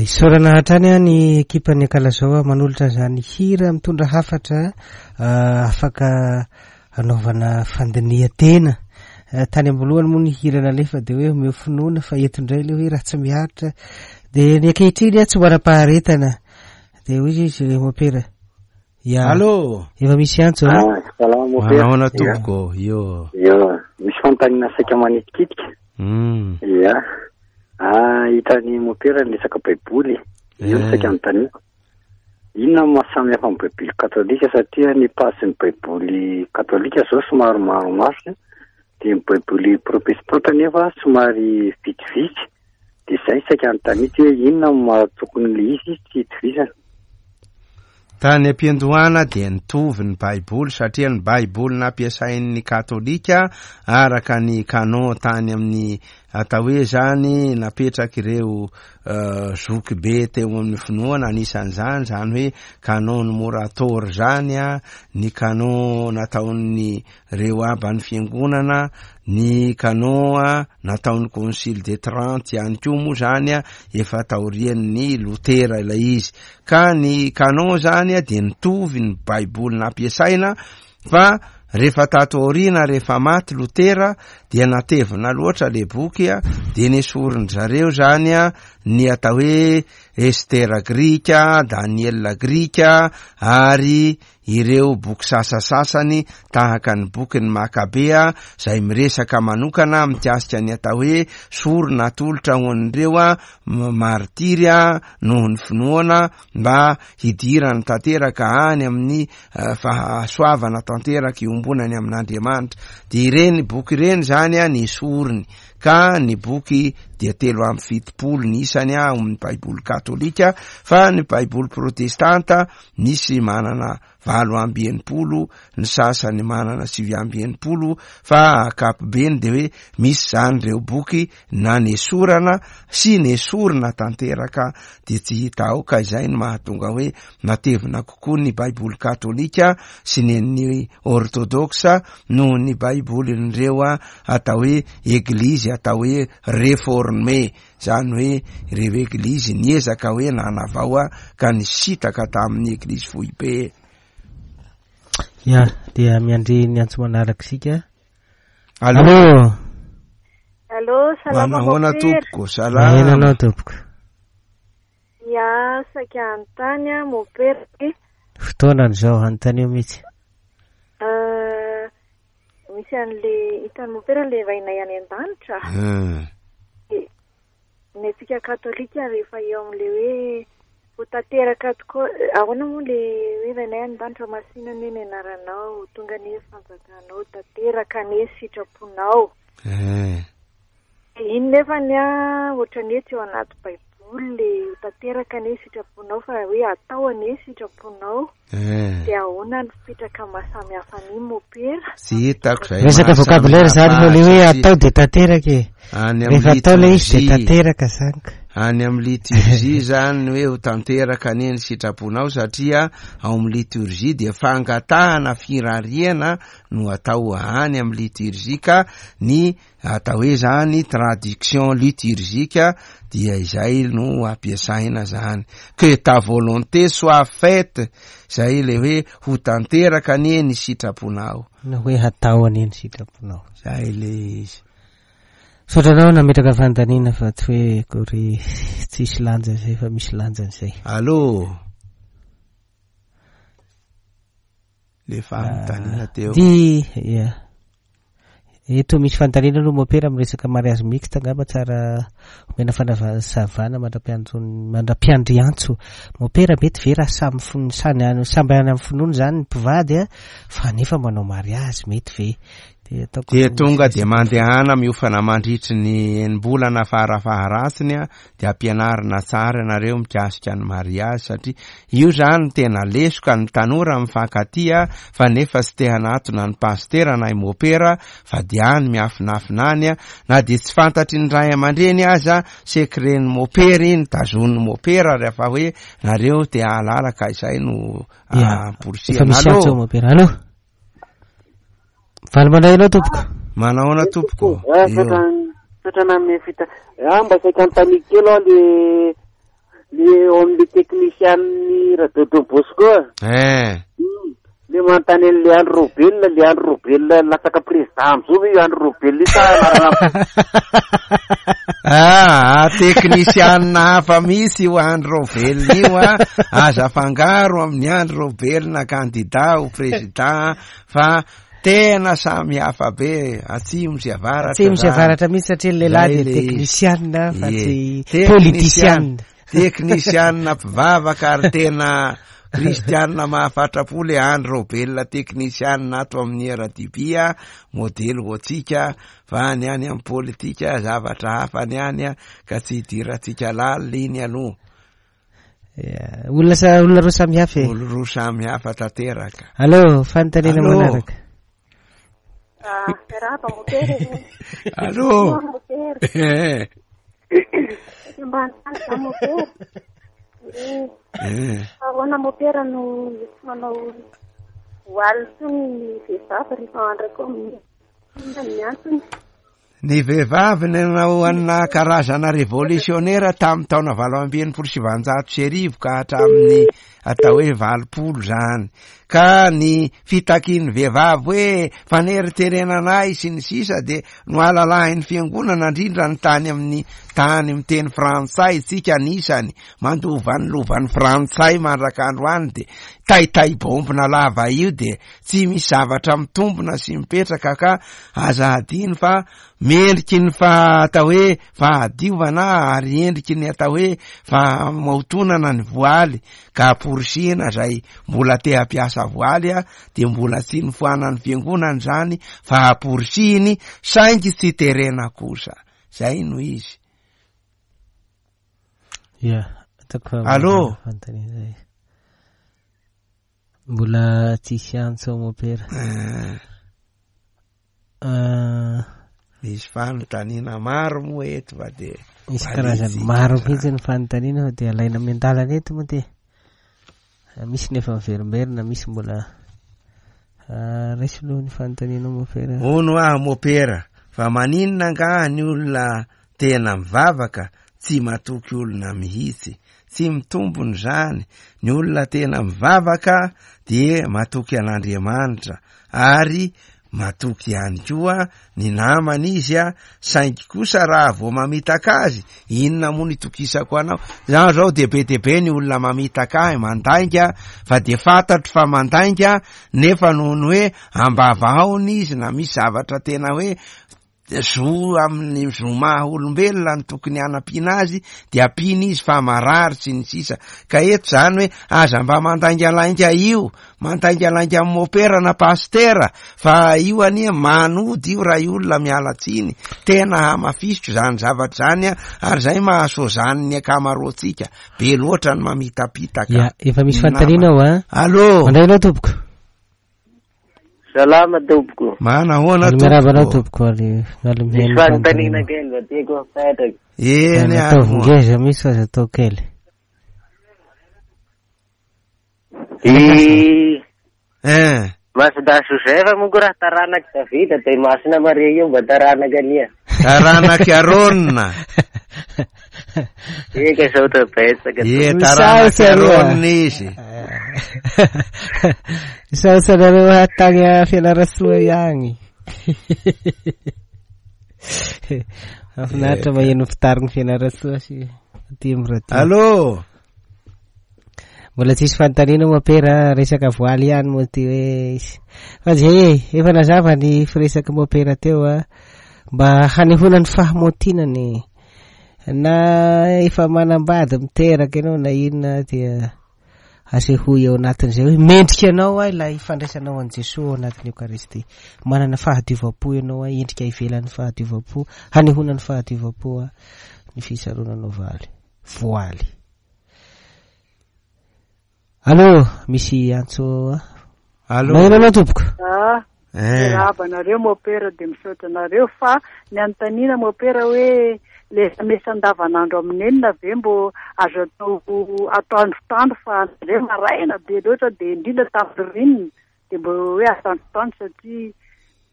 [SPEAKER 1] Isaorana hatrany a ny ekipan'ny Ankalazao manolotra izany hira mitondra hafatra afaka anaovana fandinihan-tena. Tany am-boalohany moa ny hira nalefa dia hoe omeo finoana fa eto indray ilay hoe raha tsy miaritra. Dia ny ankehitriny tsy manam-paharetana. Dia hoy izy mopera. Ya.
[SPEAKER 2] Allô.
[SPEAKER 1] Efa misy antso a.
[SPEAKER 4] Ah, salama mopera.
[SPEAKER 2] Manahoana tompoko? Io.
[SPEAKER 4] Io. Misy fanontaniana saika manitikitika. Ya. Ah, hitan'ny mopera ny resaka baiboly. Io no saika anontaniako. Inona no maha samy hafa ny baiboly katolika satria ny pasin'ny baiboly katolika zao somary maromaro dia ny baiboly protestanta nefa somary vitsivitsy. Dia izay saika anontaniako hoe inona no maha tokony ilay izy tsy hitovizana.
[SPEAKER 2] Tany am-piandohana dia nitovy ny Baiboly satria ny Baiboly nampiasain'ny Katolika araka ny canon tany amin'ny atao hoe izany napetrak'ireo zokibe teo amin'ny finoana, anisan'izany izany hoe canon Morator izany, ny canon nataon'ny reo aban'ny fiangonana, ny canon nataon'ny Concile de Trente ihany koa moa izany efa taorian'ny Lotera ilay izy. Ka ny canon zany dia nitovy ny baiboly nampiasaina fa rehefa tato aoriana rehefa maty Lotera dia natevina loatra le boky dia nesorin-dry zareo zany ny atao hoe Estera grika, Daniela grika ary ireo boky sasasasany tahaka ny bokin'ny Makabea izay miresaka manokana mikasika ny atao hoe sorona atolotra ho an'ireo martiry noho ny finoana mba hidirany tanteraka any amin'ny fahasoavana tanteraka iombonany amin'Andriamanitra. Dia ireny boky ireny izany nesoriny ka ny boky dia 73 ny isany ao amin'ny Baiboly katolika fa ny Baiboly protestanta Misy manana 68, ny sasany manana 69, fa ankapobeny dia hoe misy izany ireo boky na nesorana sy nesorina tanteraka dia tsy hita ao, ka izay no mahatonga hoe matevina kokoa ny Baiboly katolika sy ny an'ny ortodoksa noho ny Baibolin'ireo atao hoe eglizy atao hoe reforme. Izany hoe ireo eglizy niezaka hoe nanavao ka nisintaka tamin'ny eglizy foibe.
[SPEAKER 1] Ya, dia miandry ny antso manaraka isika.
[SPEAKER 2] Allô.
[SPEAKER 1] Allô.
[SPEAKER 5] Allô, salama
[SPEAKER 2] Manahoana
[SPEAKER 5] Mopera.
[SPEAKER 2] tompoko, salama.
[SPEAKER 1] Maheno anao tompoko.
[SPEAKER 5] Ya, saika hanontany aho Mopera hoe,
[SPEAKER 1] Fotoanany izao, anontanio mihitsy.
[SPEAKER 5] euh, Misy an'le hitan'i Mopera le Rainay any an-danitra. Dia ny antsika katolika rehefa eo amin'le hoe ho tanteraka tokoa, ahoana moa le hoe Rainay any an-danitra masina anie ny anaranao, ho tonga anie ny fanjakanao, tanteraka anie ny sitraponao. Iny nefany an, ohatran'ny hoe tsy ao anaty baiboly le ho tanteraka anie sitraponao fa hoe atao anie sitraponao.
[SPEAKER 2] Eh.
[SPEAKER 5] Dia ahoana ny fipetraka maha samy hafa an'iny mopera?
[SPEAKER 2] Tsy hitako izay
[SPEAKER 1] Resaka
[SPEAKER 2] maha samy
[SPEAKER 1] vocabulaire zany
[SPEAKER 2] hafa
[SPEAKER 1] fa le hoe
[SPEAKER 2] azy
[SPEAKER 1] atao dia tanteraka e.
[SPEAKER 2] Any amin'ny
[SPEAKER 1] Rehefa atao le izy dia
[SPEAKER 2] liturgie.
[SPEAKER 1] tanteraka zany ka.
[SPEAKER 2] Any amin'ny liturgie zany ny hoe ho tanteraka anie ny sitraponao satria ao amin'ny liturgie dia fangatahana firariana no atao any amin'ny liturgie ka ny Atao hoe zany traduction liturgique dia izay no ampiasaina zany. Que ta volonté soit faite, zay le hoe ho tanteraka anie ny sitraponao.
[SPEAKER 1] Na hoe hatao anie ny sitraponao.
[SPEAKER 2] Zay le izy.
[SPEAKER 1] Misaotra anao nametraka fanontaniana fa tsy hoe akory tsisy lanjany izay fa misy lanjany izay.
[SPEAKER 2] Allô? Le fanontaniana teo.
[SPEAKER 1] Di, ya. Eto misy fanontaniana aloha mopera miresaka mariage mixte angamba tsara omena fanazavana mandra-piantso- mandra-piandry antso. Mopera mety ve raha samy fon-, samy any, samby any amin'ny finoany izany ny mpivady a, fa nefa manao mariage mety ve? Dia ataoko
[SPEAKER 2] Dia tonga dia mandehana miofana mandritry ny enim-bolana fara-faharatsiny a, dia ampianarina tsara ianareo mikasika ny mariage satria io zany no tena lesoka ny tanora mifankatia fa nefa tsy te hanatona ny pasitera na i mopera fa dia any miafinafina any na dia tsy fantatry ny ray aman-dreny aza secret-n'ny mopera iny tazonin'ny mopera rehefa hoe nareo te hahalala ka izay no
[SPEAKER 1] Ya,
[SPEAKER 2] amporisihana.
[SPEAKER 1] efa misy
[SPEAKER 2] Allô?
[SPEAKER 1] antso mopera. Allô? Valy mandray anao tompoko.
[SPEAKER 2] Manahoana tompoko?
[SPEAKER 6] Ah, misaotra misaotra nanome fita. Ah, mba saika anontaniako kely aho le le eo amin'le technicien-n'ny Radio Don Bosco.
[SPEAKER 2] Eh.
[SPEAKER 6] Le manontany an'le Andry Raobelina, le Andry Raobelina latsaka président am'izao ve io Andry Raobelina io sa anarana
[SPEAKER 2] Ah, teknisianina hafa mihitsy io Andry Raobelina io a. Aza afangaro amin'ny Andry Raobelina candidat ho président fa tena samy hafa be atsimo sy avaratra.
[SPEAKER 1] Atsimo sy
[SPEAKER 2] zany.
[SPEAKER 1] avaratra mihitsy satria ny lehilahy
[SPEAKER 2] Zay
[SPEAKER 1] dia
[SPEAKER 2] le izy.
[SPEAKER 1] teknisianina fa
[SPEAKER 2] Ie.
[SPEAKER 1] tsy
[SPEAKER 2] Teknisianina.
[SPEAKER 1] politisianina.
[SPEAKER 2] Teknisianina mpivavaka ary tena kristianina mahafatra-po le Andry Raobelina teknisianina ato amin'ny RDB a, modely ho antsika fa ny any amin'ny politika zavatra hafa ny any a, ka tsy hidirantsika lalina iny aloha.
[SPEAKER 1] Ya, olona sa-, olona roa samy hafa e.
[SPEAKER 2] Olona roa samy hafa tanteraka.
[SPEAKER 1] Allô, fanontaniana
[SPEAKER 2] Allô.
[SPEAKER 1] manaraka.
[SPEAKER 5] Ah, miarahaba mopera e.
[SPEAKER 2] Allô.
[SPEAKER 5] Mopera.
[SPEAKER 2] Eh.
[SPEAKER 5] Mba hanontany za mopera. Eh.
[SPEAKER 2] Eh.
[SPEAKER 5] Ahoana mopera no tsy manao voile intsony ny vehivavy rehefa andrako amin'ny inona ny antony?
[SPEAKER 2] Ny vehivavy nanao anà karazana revolisiônera tamin'ny taona 1968 ka hatramin'ny atao hoe 80 izany. Ka ny fitakian'ny vehivavy hoe faneriterena anay sy ny sisa dia nohalalahin'ny fiangonana indrindra ny tany amin'ny tany miteny frantsay tsika anisany mandova ny lovan'ny frantsay mandrak'androany dia taitay bombina lava io dia tsy misy zavatra mitombina sy mipetraka ka aza hadino fa mendriky ny fa atao hoe fahadiovana ary endriky ny atao hoe fahamaotonana ny voaly ka amporisihina izay mbola te hampiasa voaly a dia mbola tsy nofoanan'ny fiangonana izany fa amporisihiny saingy tsy terena kosa zay no izy.
[SPEAKER 1] Ya, ataoko fa
[SPEAKER 2] Allô?
[SPEAKER 1] fanontaniana zay. Mbola tsisy antso mopera.
[SPEAKER 2] Eh.
[SPEAKER 1] Ah.
[SPEAKER 2] Misy fanontaniana maro moa eto fa dia
[SPEAKER 1] Misy karazany
[SPEAKER 2] valitsika
[SPEAKER 1] maro
[SPEAKER 2] zany.
[SPEAKER 1] mihitsy ny fanontaniana fa dia alaina miandalana eto moa dia. Ah, misy nefa miverimberina, misy mbola, ah, raiso aloha ny fanontaniana mopera.
[SPEAKER 2] Hono aho mopera, fa maninona angaha ny olona tena mivavaka tsy matoky olona mihitsy? Tsy mitombina izany, ny olona tena mivavaka dia matoky an'Andriamanitra ary matoky ihany koa ny namany izy a, saingy kosa raha vao mamitaka azy, inona moa no itokisako anao? Zaho zao dia be dia be ny olona mamitaka ahy, mandainga, fa dia fantatro fa mandainga, nefa noho ny hoe ambavahaona izy na misy zavatra tena hoe. zo amin'ny zo maha olombelona no tokony hanampiana azy de ampiana izy fa marary sy ny sisa. Ka eto zany hoe aza mba mandaingalainga io, mandaingalainga amin'ny mopera na pasitera fa io anie manody io ray olona miala tsiny. Tena hamafisiko zany zavatra zany a, ary zay maha sozan'ny ankamaroantsika, be loatra ny mamitapitaka.
[SPEAKER 1] Ya, efa misy fanontaniana ao a.
[SPEAKER 2] Allô.
[SPEAKER 1] Mandray anao tompoko.
[SPEAKER 6] Salama tompoko.
[SPEAKER 2] Manahoana
[SPEAKER 1] tompoko. Miarahaba anao tompoko ary
[SPEAKER 6] miala mihaino. Misy fanontaniana kely mba tiako apetraka.
[SPEAKER 2] Eny
[SPEAKER 1] ary. Ataovy ngeza mihitsy fa aza atao kely.
[SPEAKER 6] I
[SPEAKER 2] Eh.
[SPEAKER 6] Masindahy Joseph moa ko raha taranak'i Davida dia i Masina Maria io mba taranaka ania.
[SPEAKER 2] Taranak'i Arona.
[SPEAKER 6] Eka saotra betsaka.
[SPEAKER 2] Ie, taranak'i Arona izy.
[SPEAKER 1] Misaotra anareo hatagny a Fianarantsoa ihagny. Mahafinaritra maheno mpitarigny Fianarantsoa sy aty amin'ny radio.
[SPEAKER 2] Allô.
[SPEAKER 1] Mbola tsisy fanontaniana moa pera resaka voaly ihany moa ty hoe izy. Fa zay e, efa nazava ny firesaky mopera teo a, mba hanehoana ny fahamotinany na efa manambady miteraka ianao na inona dia asehoy ao anatin'izay hoe mendrika anao a ilay fandraisanao an'i Jesoa ao anatin'ny Eokaristia. Manana fahadiovam-po ianao a, endrika ivelan'ny fahadiovam-po, hanehoana ny fahadiovam-po a, ny fisaronanao valy, voaly. Allô, misy antso a.
[SPEAKER 2] Allô.
[SPEAKER 1] Maheno anao tompoko.
[SPEAKER 7] Ah,
[SPEAKER 2] Eh.
[SPEAKER 7] miarahaba anareo mopera dia misaotra anareo fa ny anontaniana mopera hoe le mesa andavanandro amin'ny enina ve mbo azo atao atoandrotandro fa nareo maraina be loatra dia indrindra tamin'ny ririnina dia mbo hoe atoandrotandro satria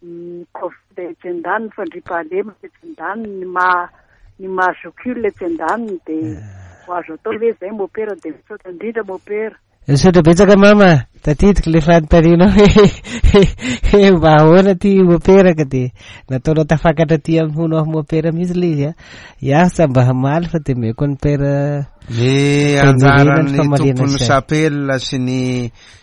[SPEAKER 7] Ny covid etsy andaniny, fandriampahalemana etsy andaniny, ny maha ny maha zokiolona etsy andaniny dia ho azo atao ve izay mopera dia misaotra indrindra mopera.
[SPEAKER 1] Misaotra betsaka mama, tadidiko le fanontanianao hoe mba ahoana ty mopera ka dia nataonao tafakatra aty amin'ny hono aho mopera mihitsy le izy a. Iaho tsy mba hamaly fa dia omeko an'i père
[SPEAKER 2] Ny anjaran'ny tompon'ny chapelle sy ny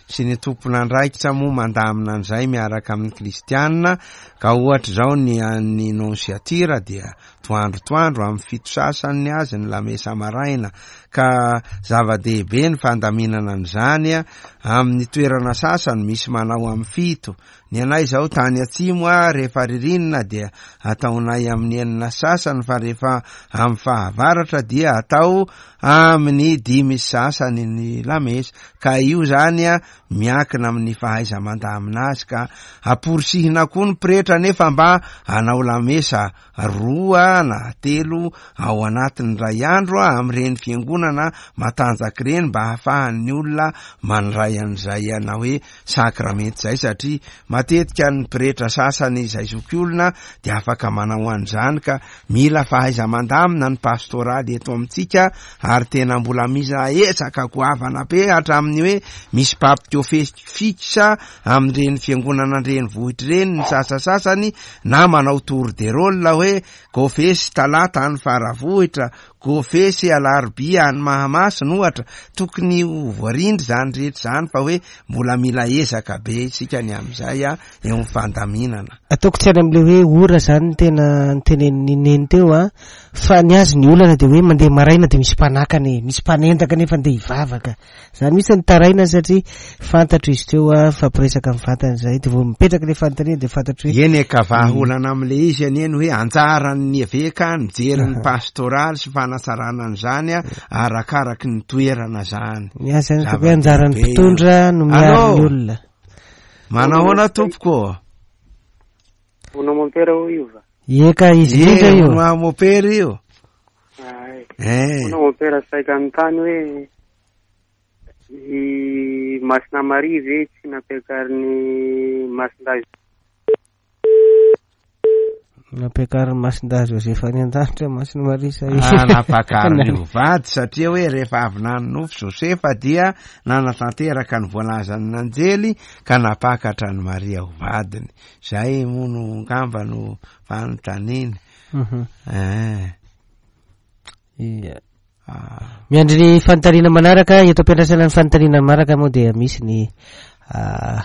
[SPEAKER 2] sy ny tompon'andraikitra moa mandamina an'izay miaraka amin'ny kristiana ka ohatra izao ny an'ny nonciature dia toandro toandro amin'ny fito sasany ny azy ny lamesa maraina ka zava-dehibe ny fandaminana an'izany amin'ny toerana sasany misy manao amin'ny fito Ny anay izao tany atsimo a rehefa ririnina dia ataonay amin'ny enina sasany fa rehefa amin'ny fahavaratra dia atao amin'ny dimy sasany ny lamesa ka io zany a miankina amin'ny fahaiza-mandamina azy ka amporisihina koa ny pretra nefa mba hanao lamesa roa na telo ao anatin'ny iray andro amin'ireny fiangonana matanjaka ireny mba hahafahan'ny olona mandray an'izay ana hoe sakramenta izay satria matetika ny pretra sasany izay zokiolona dia afaka manao an'izany ka mila fahaiza-mandamina ny pastoraly eto amintsika ary tena mbola mila ezaka goavana be hatramin'ny hoe misy papy fixe amin'ireny fiangonana an-drenivohitra ireny ny sasasasany na manao tour de rôle hoe Kofesy talata any Faravohitra, Kofesy alarobia any Mahamasina ohatra, tokony ho voarindra izany rehetra izany fa hoe mbola mila ezaka be isika ny amin'izay eo amin'ny fandaminana.
[SPEAKER 1] Ataoko tsy any amin'ilay hoe ora izany no tena notenenin'i Neny teo an, fa ny azy ny olana dia hoe mandeha maraina dia misy mpanakana e, misy mpanendaka nefa andeha hivavaka. Zany mihitsy ny taraina satria fantatro izy teo a, mifampiresaka mivantana izahay dia vao mipetraka ilay fanontaniana dia fantatro
[SPEAKER 2] hoe Eny e ka vahaolana amin'ilay izy anie ny hoe anjaran'ny eveka mijery ny pastoraly sy fanatsarana an'izany a, arakaraky ny toerana zany.
[SPEAKER 1] Ny ahy zany ataoko hoe anjaran'ny mpitondra no miaro ny olona.
[SPEAKER 2] Manahoana tompoko ô?
[SPEAKER 6] Hono mompera hoy io va?
[SPEAKER 1] Ie ka izy indrindra io.
[SPEAKER 2] Hono mompera io.
[SPEAKER 6] Ay.
[SPEAKER 2] Eh.
[SPEAKER 6] Hono mompera saika anontany hoe i Masina Maria ve tsy nampiakarin'i Masindahy
[SPEAKER 1] Nampiakarin'i Masindahy Josefa any an-danitra Masina Maria sa
[SPEAKER 2] Ah, nampakariny ho vady satria hoe rehefa avy nanonofy Josefa dia nanatanteraka ny voalazan'ny anjely ka nampakatra an'i Maria ho vadiny. Zay moa no angamba no fanontaniana. Eh.
[SPEAKER 1] Ia. Ah. Miandry ny fanontaniana manaraka, eto am-piandrasana ny fanontaniana manaraka moa dia misy ny ah,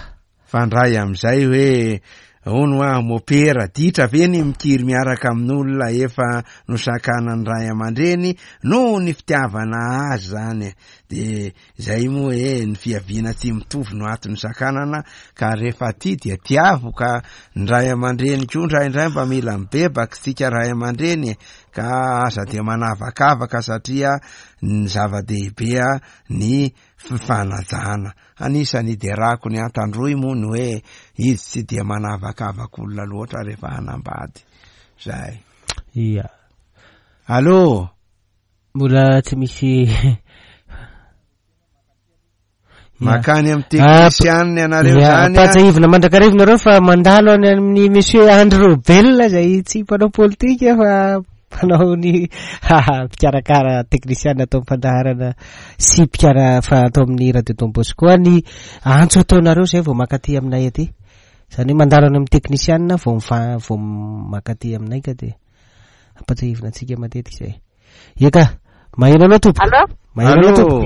[SPEAKER 2] Fandray amin'izay hoe Hono hoa mopera, ditra ve ny mikiry miaraka amin'olona efa nosakanan'ny ray aman-dreny noho ny fitiavana azy zany? De zay moa e, ny fiaviana tsy mitovy no antony sakanana, ka rehefa tia dia tiavo, ka ny ray aman-dreny koa indraindray mba mila mibebaka isika ray aman-dreny e, ka aza dia manavakavaka satria ny zava-dehibe ny fifanajana. Anisan'ny iderako ny Antandroy moa ny hoe izy tsy dia manavakavaka olona loatra rehefa hanambady. Zay.
[SPEAKER 1] Ia.
[SPEAKER 2] Allô?
[SPEAKER 1] Mbola tsy misy
[SPEAKER 2] Makany amin'ny teknisianina ianareo zany.
[SPEAKER 1] Ampahatsiahivina mandrakariva nareo fa mandalo any amin'ny Monsieur Andry Robel izay tsy mpanao politika fa mpanao ny mpikarakara teknisiana atao fandaharana sy mpikara fa atao amin'ny radio Don Bosco ny antso ataonareo izay vao maka aty aminay aty. Izany hoe mandalo any amin'ny teknisiana vao miva vao maka aty aminay ka dia ampahatsiahivina antsika matetika izay. Eka, maheno anao tompoko.
[SPEAKER 8] Allô?
[SPEAKER 1] Maheno anao tompoko.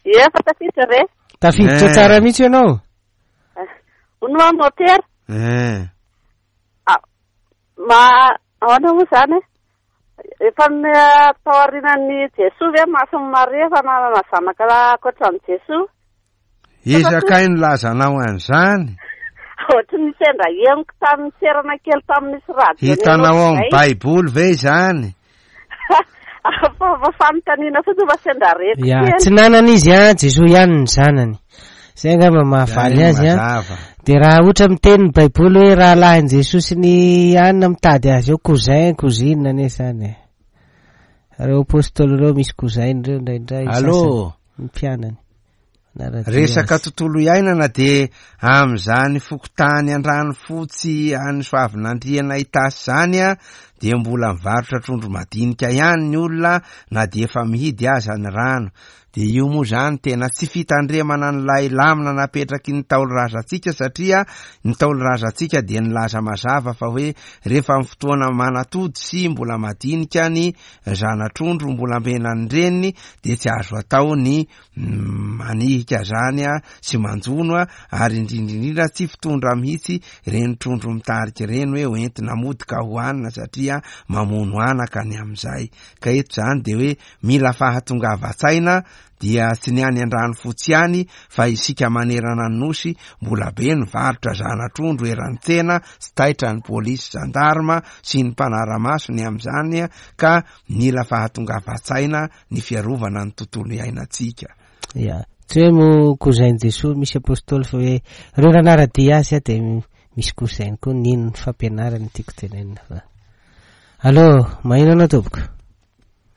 [SPEAKER 8] Ie, fa tafiditra ve?
[SPEAKER 1] Tafiditra tsara mihitsy ianao.
[SPEAKER 8] Hono hoa motera.
[SPEAKER 2] Eh.
[SPEAKER 8] Ah, ma ahoana moa izany e? Efa tao aorianan'i Jesoa ve Masin'i Maria efa nanana zanaka ankoatra an'i Jesoa?
[SPEAKER 2] Iza kay nilazanao an'izany?
[SPEAKER 8] Ohatry ny sendra henoko tamin'ny serana kely tamin'ny nisy radio.
[SPEAKER 2] Hitanao ao amin'ny Baiboly ve izany?
[SPEAKER 8] Fa fanontaniana fotsiny fa sendra reko
[SPEAKER 1] Ya,
[SPEAKER 8] kely.
[SPEAKER 1] tsy nanana izy an, Jesoa ihany ny zanany. Izay angamba mahafaly
[SPEAKER 2] Zay
[SPEAKER 1] azy an.
[SPEAKER 2] mazava.
[SPEAKER 1] Dia raha ohatra miteny ny Baiboly hoe rahalahin'i Jesoa sy ny anona mitady azy eo, cousin, cousine anie izany e. Ireo apostoly ireo misy cousin ireo indraindray.
[SPEAKER 2] Allô?
[SPEAKER 1] sasany, ny mpianany. Manara-dia
[SPEAKER 2] Resaka
[SPEAKER 1] azy.
[SPEAKER 2] tontolo iainana dia amin'izany fokontany Andranofotsy any Soavinandriana Itasy izany dia mbola mivarotra trondro madinika ihany ny olona na dia efa mihidy aza ny rano. Dia io moa izany tena tsy fitandremana an'ilay lamina napetraky ny Ntaolo razantsika satria ny Ntaolo razantsika dia nilaza mazava fa hoe rehefa amin'ny fotoana manatody sy mbola madinika ny zana-trondro mbola ambenan'ny reniny dia tsy azo atao ny manihika zany sy manjono ary indrindra indrindra tsy fitondra mihitsy ireny trondro mitarika ireny hoe hoentina mody ka hohanina satria mamono anaka ny amin'izay. Ka eto zany dia hoe mila fahatongavan-tsaina dia tsy ny any Andranofotsy ihany fa isika manerana ny Nosy mbola be ny varotra zana-trondro eran'ny tsena, tsy taitra ny polisy zandarma sy ny mpanara-maso ny amin'izany ka mila fahatongavan-tsaina ny fiarovana ny tontolo iainantsika.
[SPEAKER 1] Ya, tsy hoe mo cousin Jesoa misy apostoly fa hoe ireo nanara-dia azy dia misy cousin koa nino ny fampianarany tiako tenenina fa. Allô, maheno anao tompoko?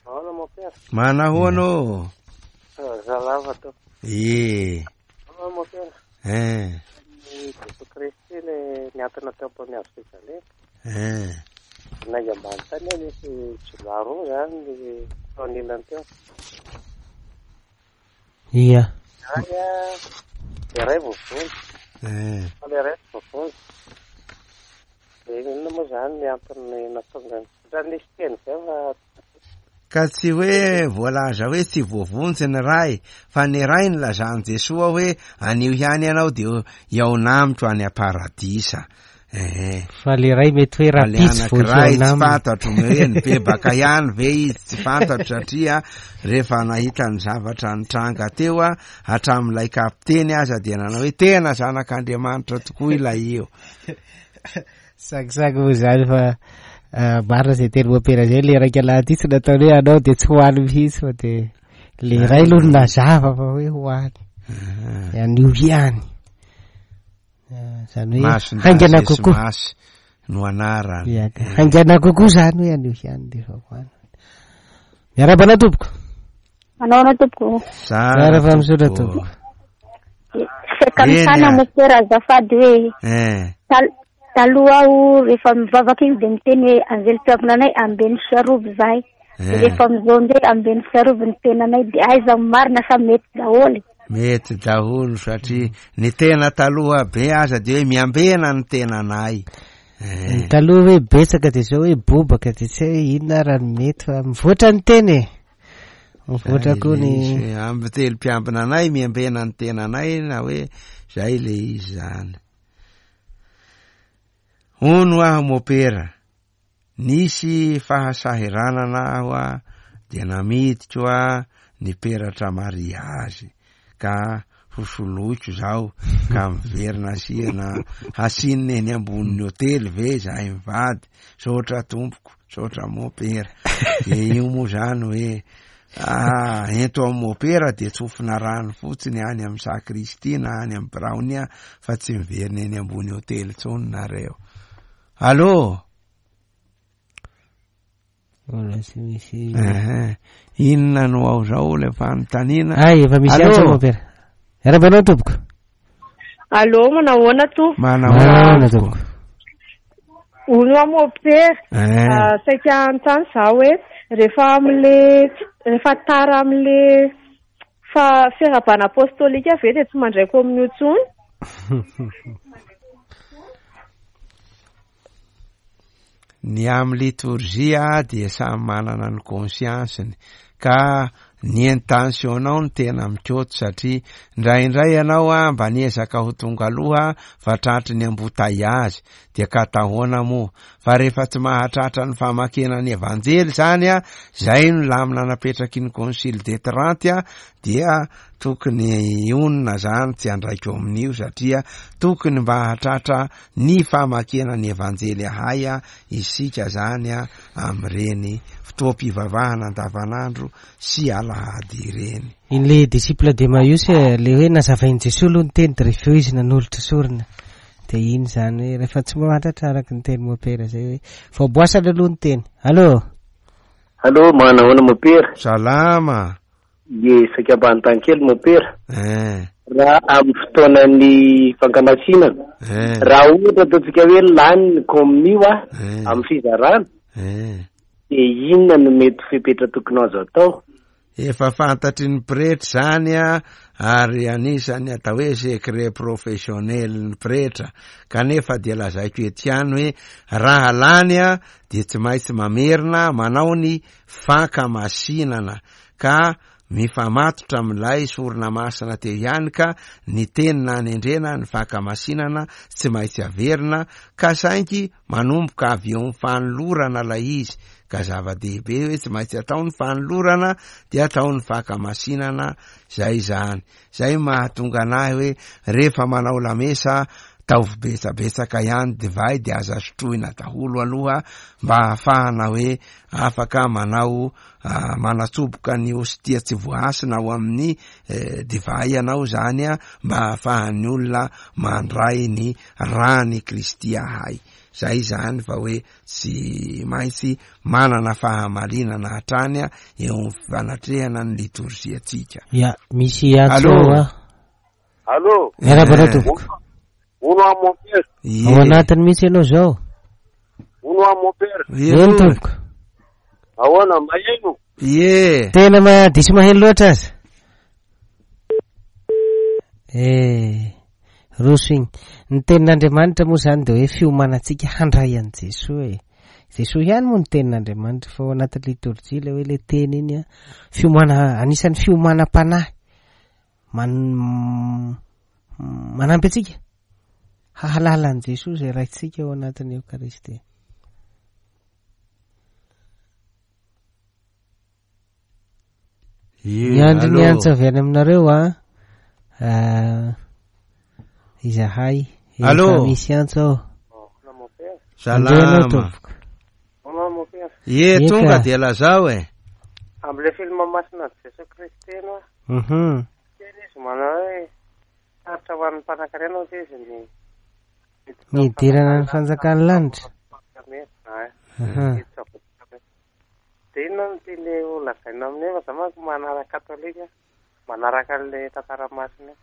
[SPEAKER 6] Ahoana mon père?
[SPEAKER 2] Manahoana ô?
[SPEAKER 6] Zalava tompoko.
[SPEAKER 2] Ie.
[SPEAKER 6] Ahoana mon père?
[SPEAKER 2] Eh.
[SPEAKER 6] Ny Jesoa Kristy le niantona teo ambony hazo fijaliana.
[SPEAKER 2] Eh.
[SPEAKER 6] Nainga ambany tany aho nisy jiolahy roa zany ny teo anilany teo.
[SPEAKER 1] Ia.
[SPEAKER 6] Iray a, le iray voavonjy.
[SPEAKER 2] Eh.
[SPEAKER 6] Fa le iray tsy voavonjy. De inona moa zany ny antony nahatonga ny, ohatran'ny nisy teny zay fa
[SPEAKER 2] Ka tsy hoe voalaza hoe tsy voavonjy ny Ray, fa ny Ray nilazan'i Jesoa hoe anio ihany ianao dia hihaona amiko any am-paradisa. Ehe.
[SPEAKER 1] Fa le Ray mety hoe
[SPEAKER 2] Fa le
[SPEAKER 1] rahampitso vao
[SPEAKER 2] anankiray
[SPEAKER 1] hihaona
[SPEAKER 2] tsy
[SPEAKER 1] aminy.
[SPEAKER 2] fantatro hoe nibebaka ihany ve izy, tsy fantatro satria rehefa nahita ny zavatra nitranga teo hatramin'ilay kapiteny aza dia nanao hoe tena zanak'Andriamanitra tokoa ilay io.
[SPEAKER 1] Sakisaky moa izany fa marina izay teny mopera izay, le iraika lahy ity tsy nataony hoe anao dia tsy ho any mihitsy fa dia le iray aloha no nazava fa hoe ho any. Anio ihany. Izany hoe
[SPEAKER 2] Masina
[SPEAKER 1] haingana
[SPEAKER 2] Jesosy
[SPEAKER 1] kokoa.
[SPEAKER 2] Masy no anarany.
[SPEAKER 1] Ia, ka haingana kokoa izany hoe anio ihany dia efa ho any. Miarahaba anao tompoko.
[SPEAKER 5] Manao anao tompoko.
[SPEAKER 1] Tsara fa misaotra tompoko.
[SPEAKER 5] Saika
[SPEAKER 2] Eny
[SPEAKER 5] mitana
[SPEAKER 2] ah.
[SPEAKER 5] mopera azafady hoe
[SPEAKER 2] Eh.
[SPEAKER 5] taloha aho rehefa mivavaka iny dia miteny hoe anjely mpiambina anay ambeno sy arovy izahay. Dia
[SPEAKER 2] Eh.
[SPEAKER 5] rehefa amin'izao indray ambeno sy arovy ny tenanay dia aiza ny marina sa mety daholo.
[SPEAKER 2] Mety daholo satria ny tena taloha be aza dia hoe miambena ny tenanay. Eh.
[SPEAKER 1] Ny taloha hoe betsaka dia izao hoe bobaka dia tsy hay inona raha ny mety fa mivoatra ny teny e. Mivoatra koa ny
[SPEAKER 2] Zay le izy hoe amby telo mpiambina anay miambena ny tenanay na hoe zay le izy zany. Hono aho mopera, nisy fahasahiranana aho a, dia namidiko a ny peratra mariazy ka hosoloiko zao ka miverina asiana hasinina eny ambonin'ny hotely ve zahay mivady, saotra tompoko, saotra mopera. De io moa zany hoe ah, ento amin'ny mopera de tsofina rano fotsiny any amin'ny sacristie na any amin'ny biraony fa tsy miverina eny ambony hotely intsony nareo. Allô?
[SPEAKER 1] Mbola tsy misy.
[SPEAKER 2] Ehe. Inona no ao zao le fanontaniana?
[SPEAKER 1] Ay, efa misy
[SPEAKER 2] Allô?
[SPEAKER 1] antso mopera. Miarahaba anao tompoko.
[SPEAKER 9] Allô, manahoana tompoko?
[SPEAKER 2] Manahoana
[SPEAKER 1] tompoko.
[SPEAKER 9] Hono aho mopera.
[SPEAKER 2] Eh.
[SPEAKER 9] Ah, saika hanontany za hoe rehefa am'le rehefa tara am'le fa fiarahabana apostolika ve dia tsy mandray communion intsony?
[SPEAKER 2] Ny amin'ny litorjia dia samy manana ny conscience-ny ka ny intention-nao no tena mikoty satria indraindray ianao a mba niezaka ho tonga aloha fa tratry ny embouteillage dia ka atahoana moa fa rehefa tsy mahatratra ny famakiana ny evanjely zany a zay no lamina napetraky ny concile de Trente a dia tokony hionona zany tsy andraiko amin'io satria tokony mba hahatratra ny famakiana ny Evanjely ahay isika zany amin'ireny fotoam-pivavahana andavanandro sy alahady ireny.
[SPEAKER 1] Iny le disciple d'Emmaüs e, le hoe nazavain'i Jesoa aloha ny teny de rehefa eo izy nanolotra sorona. De iny zany hoe rehefa tsy mahatratra araka ny teny mopera zay hoe voaboasana aloha ny teny. Allô?
[SPEAKER 6] Allô, manahoana mopera?
[SPEAKER 2] Salama.
[SPEAKER 6] Ie, saika mba hanontany kely mopera.
[SPEAKER 2] Eh.
[SPEAKER 6] Raha amin'ny fotoanan'ny fankamasinana,
[SPEAKER 2] Eh.
[SPEAKER 6] raha ohatra ataontsika hoe lany ny kominio a,
[SPEAKER 2] Eh.
[SPEAKER 6] amin'ny fizarana,
[SPEAKER 2] Eh.
[SPEAKER 6] dia inona no mety fepetra tokony azo atao?
[SPEAKER 2] Efa fantatry ny pretra izany a, ary anisan'ny atao hoe secret professionnel ny pretra, kanefa dia lazaiko eto ihany hoe raha lany a, dia tsy maintsy mamerina manao ny fankamasinana ka mifamatotra amin'ilay sorona masina teo ihany ka ny teny nanendrena ny fankamasinana tsy maintsy averina ka saingy manomboka avy eo amin'ny fanolorana ilay izy ka zava-dehibe hoe tsy maintsy atao ny fanolorana dia atao ny fankamasinana zay izany zay mahatonga anahy hoe rehefa manao lamesa taovy betsabetsaka ihany divay dia aza sotroina daholo aloha mba ahafahana hoe afaka manao manatsoboka ny hostia tsy voahasina ao amin'ny eh, divay ianao zany a mba ahafahan'ny olona mandray ny rany Kristy ahay zay zany fa hoe tsy maintsy manana fahamarinana hatrany a eo amin'ny fanatrehana ny litorziantsika.
[SPEAKER 1] Ya, misy antso
[SPEAKER 2] Allô?
[SPEAKER 1] a.
[SPEAKER 6] Allô?
[SPEAKER 1] Miarahaba anao tompoko.
[SPEAKER 6] Hono aho mon père.
[SPEAKER 1] Ao anatiny mihitsy ianao zao.
[SPEAKER 6] Hono aho mon père.
[SPEAKER 1] Eny tompoko.
[SPEAKER 6] Ahoana, maheno?
[SPEAKER 2] Ie.
[SPEAKER 1] Tena ma diso maheno loatra aza. Eh, roso igny. Ny tenin'Andriamanitra moa zany dia hoe fiomanantsika handray an'i Jesoa e. Jesoa ihany moa ny tenin'Andriamanitra fa ao anatin'ny litorjia ilay hoe ilay teny iny a, fiomana, anisan'ny fiomanam-panahy man, manampy antsika hahalala an'i Jesoa izay raintsika ao anatin'ny Eokaristia. Miandry ny antso avy any aminareo a. Ah, izahay. Efa
[SPEAKER 2] Allô?
[SPEAKER 1] misy antso ao.
[SPEAKER 2] Salama.
[SPEAKER 1] Andrea anao tompoko.
[SPEAKER 2] Ie,
[SPEAKER 1] Eka.
[SPEAKER 2] tonga dia lazao e.
[SPEAKER 10] Amin'ilay film masina an'i Jesoa Kristy ianao.
[SPEAKER 1] Mhm.
[SPEAKER 10] Teny izy manao hoe sarotra ho an'ny mpanankarena hoy izy ny
[SPEAKER 1] Ny hidirana ny fanjakan'ny lanitra. Aha.
[SPEAKER 10] Dia inona no tian'ilay ho lazaina amin'io fa za manko manaraka katolika, manaraka an'ilay tantara masina io.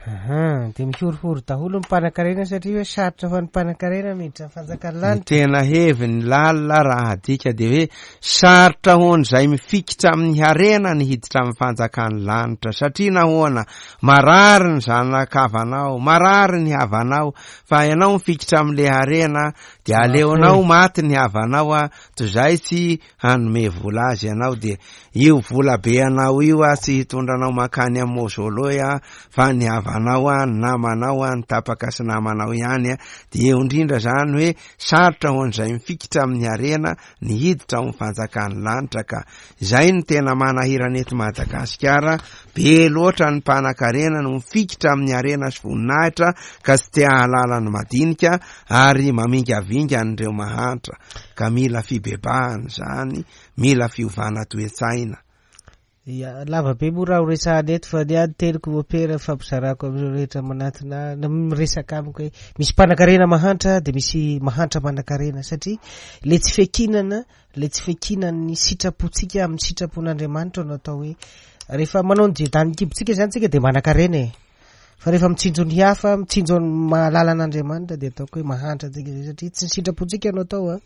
[SPEAKER 1] Aha, dia mihorohoro daholo ny mpanankarena satria hoe sarotra ho an'ny mpanankarena miditra ny fanjakan'ny
[SPEAKER 2] Ny
[SPEAKER 1] lanitra.
[SPEAKER 2] tena heviny lalina raha adika dia hoe sarotra ho an'izay mifikitra amin'ny harena ny hiditra amin'ny fanjakan'ny lanitra satria nahoana marary ny zanakavanao, marary ny havanao fa ianao mifikitra amin'ilay harena dia aleonao maty ny havanao a toy izay tsy hanome vola azy ianao dia io vola be anao io a tsy hitondra anao mankany amin'ny mausolée a fa ny havanao. havanao a, ny namanao a, ny tapaka sy namanao ihany a, dia eo indrindra izany hoe sarotra ho an'izay mifikitra amin'ny harena ny hiditra ao amin'ny fanjakan'ny lanitra ka izay no tena manahirana eto Madagasikara, be loatra ny mpanakarena no mifikitra amin'ny harena sy voninahitra ka tsy te hahalala ny madinika ary mamingavinga an'ireo mahantra ka mila fibebahana izany, mila fiovana toe-tsaina.
[SPEAKER 1] Ya, lava be moa raha ho resahana eto fa ny ahy ny teniko mopera fampizarako amin'ireo rehetra manatona ahy na miresaka amiko hoe misy mpanakarena mahantra dia misy mahantra manakarena satria le tsy fiankinana le tsy fiankinan'ny sitrapontsika amin'ny sitrapon'Andriamanitra no atao hoe rehefa manao ny jedan'ny kibontsika izany tsika dia manakarena e fa rehefa mitsinjo ny hafa mitsinjo ny mahalala an'Andriamanitra dia ataoko hoe mahantra tsika zay satria tsy ny sitrapontsika no atao a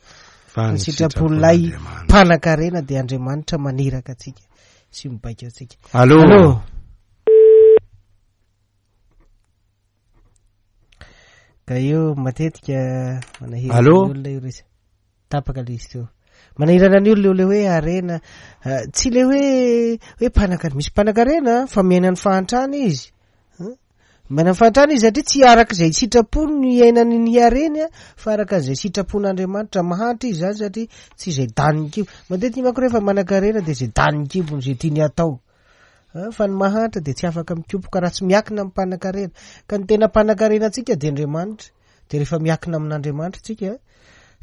[SPEAKER 2] Fa
[SPEAKER 1] ny sitrapon'ilay mpanakarena dia Andriamanitra maniraka antsika sy mibaiko antsika.
[SPEAKER 2] Allô?
[SPEAKER 1] Allô? Ka io matetika manahirana
[SPEAKER 2] Allô?
[SPEAKER 1] ny olona io resa. Tapaka le izy teo. Manahirana ny olona io le hoe harena. Ah, tsy le hoe hoe mpanakarena, misy mpanakarena fa miaina ny fahantrana izy. Miaina ny fahantrana izy satria tsy araka izay sitrapony no iainany ny hareny fa araka izay sitrapon'Andriamanitra. Mahantra izy izany satria tsy izay danin'ny kibo. Matetika manko rehefa manan-karena dia izay danin'ny kibony, izay tiany hatao. Fa ny mahantra dia tsy afaka mikopoka raha tsy miakina amin'ny mpanan-karena. Ka ny tena mpanan-karena antsika dia Andriamanitra. Dia rehefa miakina amin'Andriamanitra tsika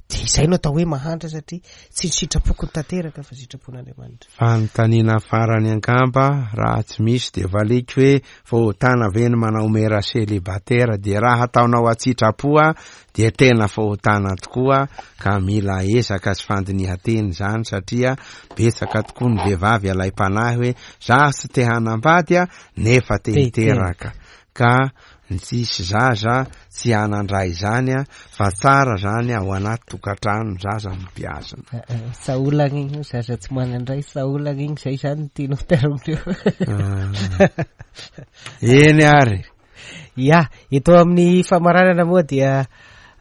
[SPEAKER 1] dia izay no atao hoe mahantra satria tsy ny sitrapoko no tanteraka fa sitrapon'Andriamanitra.
[SPEAKER 2] Fanontaniana farany angamba, raha tsy misy dia valiko hoe fahotana ve ny manao mera célibataire dia raha ataonao an-tsitrapo dia tena fahotana tokoa ka mila ezaka sy fandinihan-tena izany satria betsaka tokoa ny vehivavy alaim-panahy hoe za tsy te hanambady nefa te hiteraka ka ny tsisy zaza tsy hanan-dray izany a, fa tsara zany ao anaty tokantrano ny zaza no beazina.
[SPEAKER 1] Saolagna igny io, zaza tsy manan-dray saolagna igny, zay zany no tianao terme eo.
[SPEAKER 2] Eny ary.
[SPEAKER 1] Ya, eto amin'ny famaranana moa dia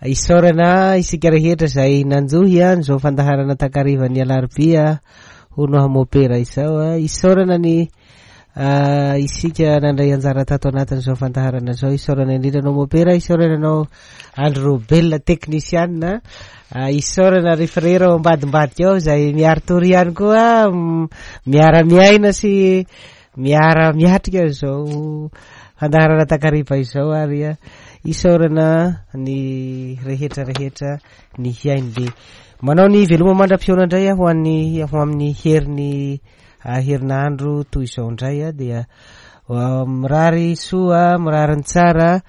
[SPEAKER 1] isaorana isika rehetra izay nanjohy an'izao fandaharana takarivan'ny alarobia hono hamopera izao. Isaorana ny Isika nandray anjara tato anatin'izao fandaharana izao. Isaorana indrindra anao Mopera, isaorana anao Andry Robel teknisianina, isaorana ry frera ao ambadimbadika ao izay miari-tory ihany koa, miara-miaina sy miara-miatrika izao fandaharana takariva izao ary isaorana ny rehetra rehetra ny hiaino dia manao ny veloma mandra-pihaona indray aho ho an'ny ho amin'ny herin'ny Herinandro toy izao indray dia mirary soa, mirary ny tsara,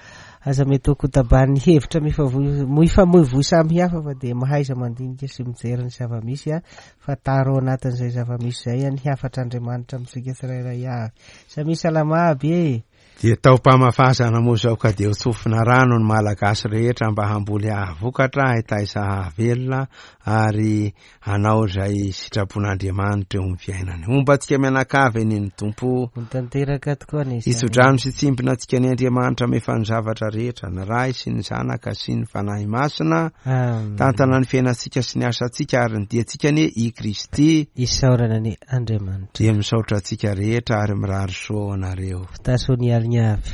[SPEAKER 1] aza mety ho kotaban'ny hevitra mifamoivoy samihafa fa dia mahaiza mandinika sy mijery ny zava-misy fa taro ao anatin'izay zava-misy izay ny hafatr'Andriamanitra amintsika tsirairay avy. Samia salama aby e!
[SPEAKER 2] Dia taom-pamafazana moa izao ka dia ho tsofina rano ny Malagasy rehetra mba hamboly hahavokatra, hitaiza hahavelona ary hanao izay sitrapon'Andriamanitra eo amin'ny fiainany. Homba antsika mianakavy anie ny Tompo.
[SPEAKER 1] Ho tanteraka tokoa anie izany.
[SPEAKER 2] Hitso-drano sy hitsimbina antsika anie Andriamanitra mahefa ny zavatra rehetra, ny Ray sy ny Zanaka sy ny Fanahy Masina.
[SPEAKER 1] Amen.
[SPEAKER 2] Tantana ny fiainantsika sy ny asantsika ary ny diantsika anie i Kristy.
[SPEAKER 1] Isaorana anie Andriamanitra.
[SPEAKER 2] Dia misaotra antsika rehetra ary mirary soa ho anareo.
[SPEAKER 1] Fitasoa ny alina avy.